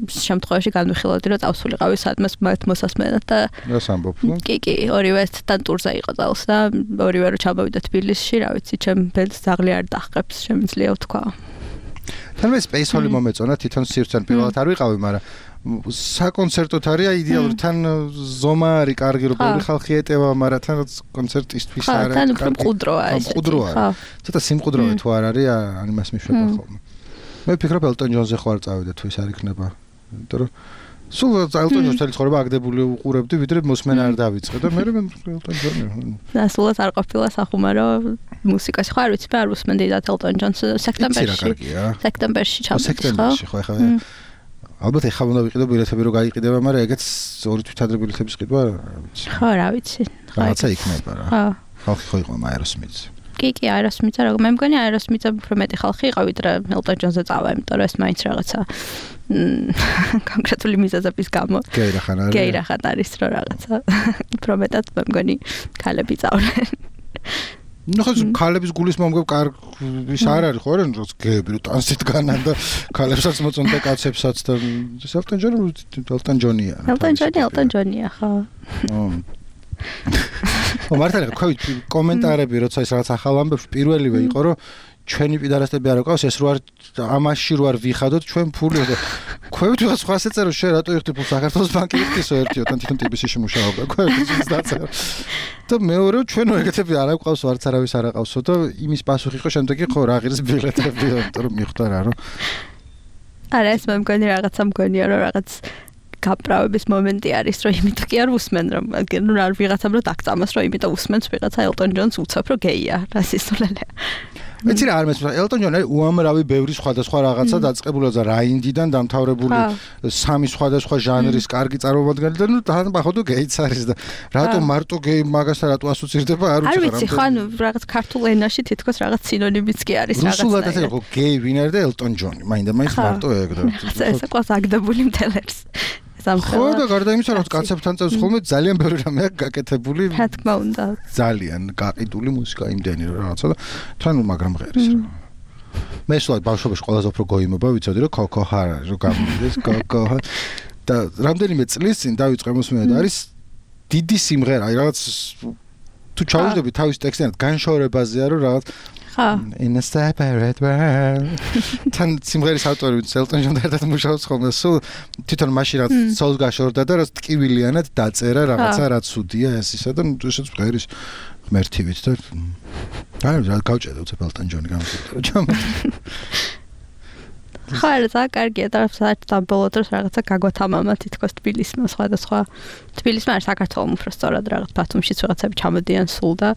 შემთხვევაში განვიხილავდი რომ წავსულიყავი სადმე მოსასმენად და რას ამბობ? კი ორივესთან ტურზე იყო წელს და ორივე რო ჩამოვიდა თბილისში რა ვიცი ჩემ ბენდს ძაღლი არ დაჰყებს შემიძლია ვთქვა თან მე Space Hall-ი მომეწონა თვითონ სივრცენ პირველად არ ვიყავი მაგრამ საკონცერტოთ არის იდეალური თან ზომა არის კარგი რომ ბევრი ხალხი ეტევა მაგრამ თან კონცერტისთვის არის თან უფრო მყუდროა ეს ცოტა სიმყუდროა თუ არ არის ან იმას მიშვება ხოლმე მე ვფიქრობ Elton John-ზე ხო არ წავიდე თუ ის არ იქნება იმიტომ რომ სულ Elton John-ს ცხოვრება აგდებული უყურებდი ვიდრე მოსმენა არ დავიწყე და მე Elton John-ი და სულაც არ ყოფილა სახუმარო მუსიკაში ხო არ ვიცი მე არ უსმენდი და Elton John-ს სექტემბერში სექტემბერში ხო ეხლა ალბათ ეხლა უნდა ვიყიდო ბილეთები რომ გაიყიდება, მაგრამ ეგეც ორი თვითადრე ბილეთების ყიდვა ხო რა ვიცი. რაღაცა იქნება რა. ხო. ხალხი ხო იყო Aerosmith-ზე. კი, Aerosmith-ზე რა, მე მგონი Aerosmith-ზე უფრო მეტი ხალხი იყო ვიდრე Elton John-ზე წავა, იმიტომ რომ ეს მაინც რაღაცა კონკრეტული მიზეზების გამო. გეირახან არის რომ რაღაცა უფრო მეტად მე მგონი ქალები წავდნენ. ნუ ხო ქალების გულის მომგებ ის არ არის ხო რა გეები რომ ტანსით განან და ქალებსაც მოწონდა და კაცებსაც და Elton John-ია Elton John-ია ხო მართალია ხო კომენტარები როცა ის რაღაც ახალ ამბებს პირველივე იყო რომ ჩვენი პიდარასტები არ ყავს ეს რო არ ამაში რო არ ვიხადოთ ჩვენ ფული და ქვევით ვიღაც სხვა ეწერო შე რატო იხდი ფულს საქართველოს ბანკი იხდისო ერთიო თან თვითონ ტიბისში მუშაობდა ქვევით დაწერა და მეორე ჩვენო ეგეთები არ აყავს არც არავის არ აყავსო და იმის პასუხი იყო შემდეგი ხო რა ღირს ბილეთები იმიტომ რომ მიხვდა რა რომ არა ეს მე მგონი რაღაცა მგონია რომ რაღაც გაправების მომენტი არის რომ იმიტომ კი არ უსმენ რომ რა ვიღაცამ რომ დაგწამოს რომ იმიტომ უსმენს ვიღაცა Elton John-ს უცებ რომ გეია რასისტულელია მეც რა არ მესმის ელტონ ჯონი უამრავი ბევრი სხვადასხვა რაღაცა დაწყებულა და რაინდიდან დამთავრებული სამი სხვადასხვა ჟანრის კარგი წარმომადგენელი და ნუ თან походу გეიც არის და რატო მარტო გეი მაგასთან რატო ასოცირდება არ ვიცი რა. არ ვიცი ხო ანუ რაღაც ქართულ ენაში თითქოს რაღაც სინონიმიც კი არის რაღაცა. რუსულად ასე ხო გეი ვინ არის და ელტონ ჯონი მაინდა-მაინც მარტო ეგ და ესე ყავს აგდებული მთელებს. ხო და გარდა იმისა რომ კაცებთან წევს ხოლმე ძალიან ბევრი რამე აქვს გაკეთებული. რა თქმა უნდა. ძალიან გაყიდული მუსიკა იმდენი რაღაცა და თან მაგრამ ღერის რა. მე სულ ბავშვობაში ყველაზე უფრო გოიმობა ვიცოდი რომ კოკო ჰარა რო გამიდეს კოკო და რამდენიმე წლის წინ დავიწყე მოსმენა და არის დიდი სიმღერა რაღაც თუ ჩაუждები თავის ტექსტიდან განშორებაზეა რომ რაღაც in a separate world თან სიმღერის ავტორი ელტონ ჯონი ერთად მუშაობს ხოლმე სულ თვითონ მაშინ რაც სოლს გაშორდა და რაც ტკივილიანად დაწერა რაღაცა რაც უდია ეს ისა და ესეც ღერის ღმერთივით და რა გავჭედე უცებ ელტონ ჯონი გამოსწორდა ჩამო ხარ და კარგია და საერთოდ ბოლო დროს რაღაცა გაგვათამამა თითქოს თბილისმა სხვადასხვა თბილისმა არ საქართველოს უფრო სწორად რაღაც ბათუმშიც რაღაცები ჩამოდიან სულ და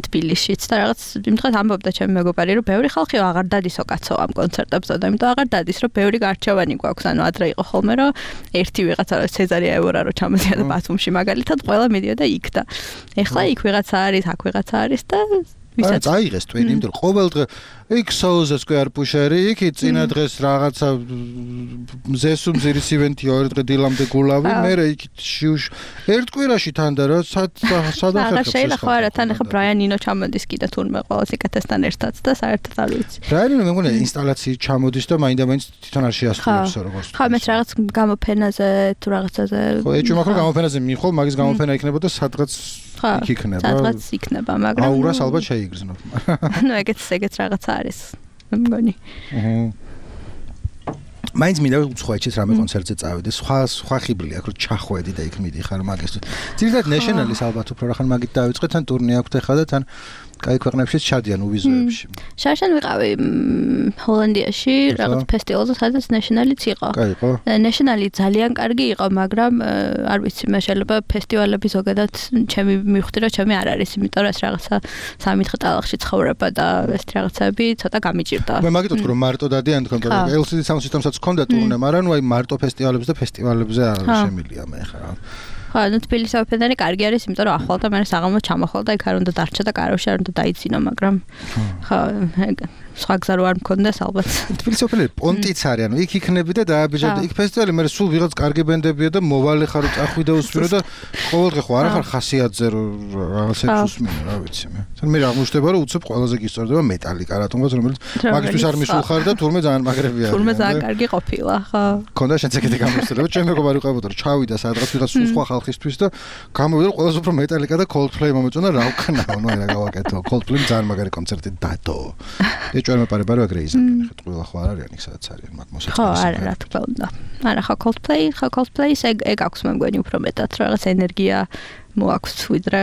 თბილისშიც და რაღაც იმდღეს ამბობდა ჩემი მეგობარი რომ ბევრი ხალხი აღარ დადისო კაცო ამ კონცერტებზე და იმიტომ აღარ დადის რომ ბევრი გარჩევანი გვაქვს ანუ ადრე იყო ხოლმე რომ ერთი ვიღაცა სეზარია ევორა რო ჩამოდიოდა ბათუმში მაგალითად ყველა მიდიოდა იქ და ეხლა იქ ვიღაცა არის აქ ვიღაცა არის და ვისაც აიღეს ტვენი იმიტომ რომ ყოველ დღე იქ სოუზეს კი არ პუშერი იქ წინა დღეს რაღაცა მზესუმზირის ივენთი ორი დღე დილამდე გულავი მე იქ შიუშ ერთ კვირაში თან და რა სადახერხებს შეიძლება არა თან ახლა ბრაიან ინო ჩამოდის კიდე თურმე ყოველს იკეთესთან ერთად და საერთოდ არ ვიცი ბრაიან ინო მე მგონია ინსტალაციით ჩამოდის და მაინდა-მაინც თვითონ არ შეასრულებს როგორც ხო მეც რაღაც გამოფენაზე თუ რაღაცაზე ხო ეჭვი მაქვს რომ გამოფენაზე მიხვალ მაგის გამოფენა იქნებოდა სადღაც იქ იქნება სადღაც იქნება მაგრამ აურას ალბათ შეიგრძნო ნუ ეგეც რაღაცა არის მგონი მაინც მინდა უცხოეთშიც რამე კონცერტზე წავიდე სხვა ხიბლი აქვს რომ ჩახვედი და იქ მიდიხარ მაგის ძირითადად ნეშნალის ალბათ უფრო რახან მაგით დავიწყეთ თან ტურნე აქვს ახლა და თან კაი ქვეყნებშიც ჩადიან უვიზოებში შარშან ვიყავი ჰოლანდიაში რაღაც ფესტივალზე სადაც ნეშნალიც იყო კაი ნეშნალი ძალიან კარგი იყო მაგრამ არ ვიცი მე შეიძლება ფესტივალები ზოგადად ჩემი მივხვდი რომ ჩემი არ არის იმიტომ რომ ეს რაღაცა 3 დღე ტალახში ცხოვრება და ეს რაღაცები ცოტა გამიჭირდა მე მაგით ვთქვი რომ მარტო დადიან თქო LCD Sound System-საც ჰქონდა ტურნე მაგრამ ნუ აი მარტო ფესტივალებზე და ფესტივალებზე არ შემილია მე ხა ხო, ნუ თბილისის ოპერა კარგი არის, იმიტომ რომ ახლა და მე საღამო ჩამახვალ და იქ არ უნდა დარჩა და კაროში არ უნდა დაიძინო, მაგრამ ხო, სხვა გზა რო არ მქონდეს ალბათ. თბილისის ოპერა პონტიც არის, ანუ იქ იქნები და დააბეჭდები. იქ ფესტივალი მე სულ ვიღაც კარგი ბენდებია და მოვალე ხარ წახვი და უსმენო და ყოველდღე ხო არა ხარ ხასიათზე რაღაცებს უსმენო, რა ვიცი მე. თან მე აღმოჩნდება რომ უცებ ყველაზე გისწორდება მეტალიკა რატომღაც რომელიც მაგისთვის არ მისულ ხარ და თურმე ძალიან მაგრები არის. თურმე ძალიან კარგი ყოფილა, ხო. ქონდა შენც ეგეთი გამოსწორება, ჩემ მეგობარი ყავდა რომ ჩავიდა სადღაც ვიღაც სხვა ხალხისთვის და გამოვიდა ყველაზე უფრო მეტალიკა და Coldplay მომეწონა რა ვქნაო, ნუ რა გავაკეთო. Coldplay ძალიან მაგარი კონცერტი დადო. ეჭვერ მეპარება რომ ეგრე იზამენ, ხე ყველა ხო არ არიან იქ სადაც არიან მაგ მოსაწყობი. ხო, არა, რა თქმა უნდა. არა, ხო Coldplay-ს ეგ აქვს მე მგონი უფრო მეტად რაღაც ენერგია მოაქვს ვიდრე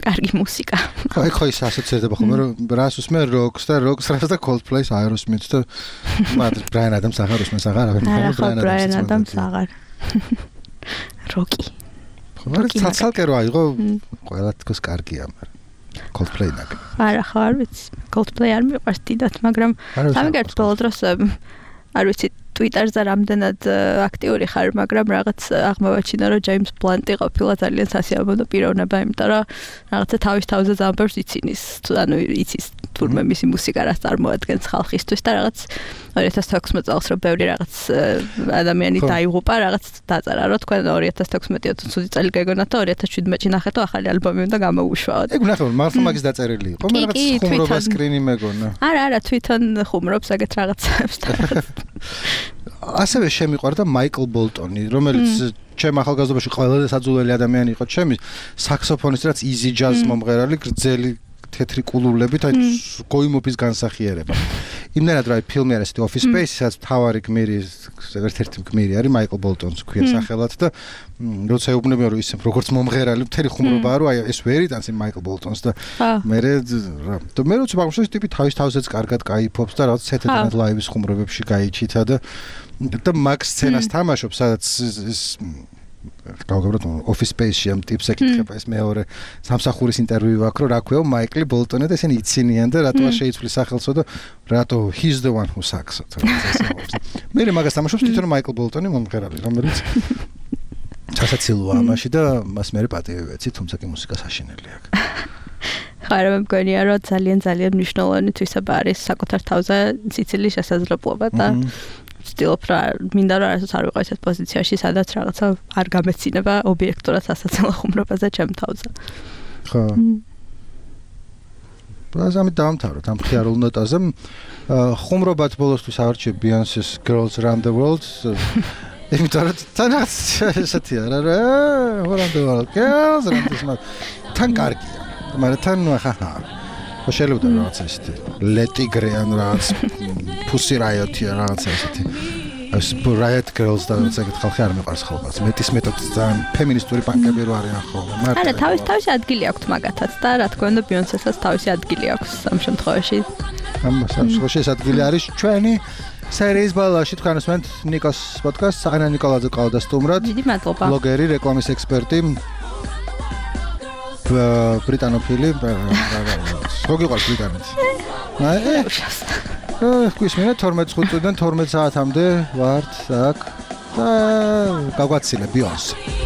კარგი მუსიკა. ხო, ეგ ხო ის ასოცირდება ხოლმე რომ რას უსმენ როკს და Coldplay-ს Aerosmith-ს და მაგრამ Bryan Adams აღარ უსმენს აღარ Bryan Adams აღარ. როკი. მაგრამ ცალკე რო აიღო ყველა თქოს კარგია მაგრამ Coldplay ნაკ. არა ხო არ ვიცი. Coldplay არ მიყვარს დიდად, მაგრამ სამგერთ ბოლო დროს არ ვიცი Twitter-ზე რამდენად აქტიური ხარ, მაგრამ რაღაც აღმოვაჩინა რომ James Blunt-ი ყოფილა ძალიან სასიამოვნო პიროვნება, იმიტომ რომ რაღაცა თავის თავზე ძალიან ბევრს იცინის, ანუ იცის თურმე მისი მუსიკა რას წარმოადგენს ხალხისთვის და რაღაც 2016 წელს რო ბევრი რაღაც ადამიანი დაიღუპა, რაღაც დაწერა რომ თქვენ 2016 ცუდი წელი გეგონათ და 2017-ში ნახეთ ახალი ალბომი უნდა გამოუშვაოთ. ეგ ნახე მართლა მაგის დაწერილი იყო, მე რაღაც ხუმრობა სკრინი მეგონა. არა, თვითონ ხუმრობს ეგეთ რაღაცებს. ასევე შემიყვარდა Michael Bolton-ი, რომელიც ჩემ ახალგაზრდობაში ყველაზე საძულელი ადამიანი იყო, ჩემი საქსოფონისტი, რაც easy jazz მომღერალი, გრძელი თეთრი კულურლებით, აი გოიმობის განსახიერება. იმდენად რა ფილმი არის Office Space, სადაც თავარი გმირი, ერთ-ერთი გმირი არის Michael Bolton-ს ქვია სახელად და როცა ეუბნებიან რომ ისე როგორც მომღერალი, მთელი ხუმრობაა რომ აი ეს ვერ იტანს იმ Michael Bolton-ს და მე როცა მაგმშოს ტიპი თავის თავზეც კარგად кайფობს და რაღაც Saturday Night Live-ის ხუმრობებში გაიჩითა და მაგ სცენას თამაშობს, სადაც გავგებროთ Office Space-ში ამ ტიპს ეკითხება ეს მეორე სამსახურის ინტერვიუ აქვს, რომ რა ქვია მაიკლი ბოლტონი და ესენი იცინიან და რატო შეიცვლის სახელსო და რატო he's the one who sucks. მე მაგას თამაშობს თვითონ მაიკლ ბოლტონი მომღერალი, რომელიც ჩასაცილოა ამაში და მას მე პატივი ვეცი, თუმცა კი მუსიკა საშინელი აქვს. ხარ მე მგონია რომ ძალიან მნიშვნელოვანი თვისება არის საკუთარ თავზე სიცილის შესაძლებლობა და ვცდილობ რა მინდა რომ არასდროს არ ვიყო ესეთ პოზიციაში სადაც რაღაცა არ გამეცინება ობიექტურად სასაცილო ხუმრობაზე ჩემ თავზე. ხო. ბაზამი დავამთავროთ ამ ხიარულ ნოტაზე. ხუმრობად ბოლოსთვის ავარჩიე Beyonce's Girls Around the World. იმიტომ რომ თანაც ესეთია რა Around the World Girls Around the World. თან კარგია. მაგრამ თან ხა შეიძლება რაღაცა ისეთი ლეტიგრე ან რაღაც Pussy Riot-ი რაღაცა ისეთი ეს Riot Girls და რაღაცა ხალხი არ მეყარს ხოლმე მეტის მეთოდს ძალიან ფემინისტური პანკები რო არიან ხოლმე მაგრამ არა თავისი ადგილი აქვს მაგათაც და რა თქმა უნდა Beyonce-საც თავისი ადგილი აქვს ამ შემთხვევაში ამ შემთხვევაში ეს ადგილი არის ჩვენი სერიის ბალაში თქვენ უსმენთ ნიკოს პოდკასტს ანა ნიკოლაძე ყავდა სტუმრად დიდი მადლობა ბლოგერი რეკლამის ექსპერტი ბრიტანოფილი როგორ გიყავს ბრიტანეთი? გვისმენთ 12 წუთიდან 12 საათამდე ვართ აქ და გავგვაცილე Beyonce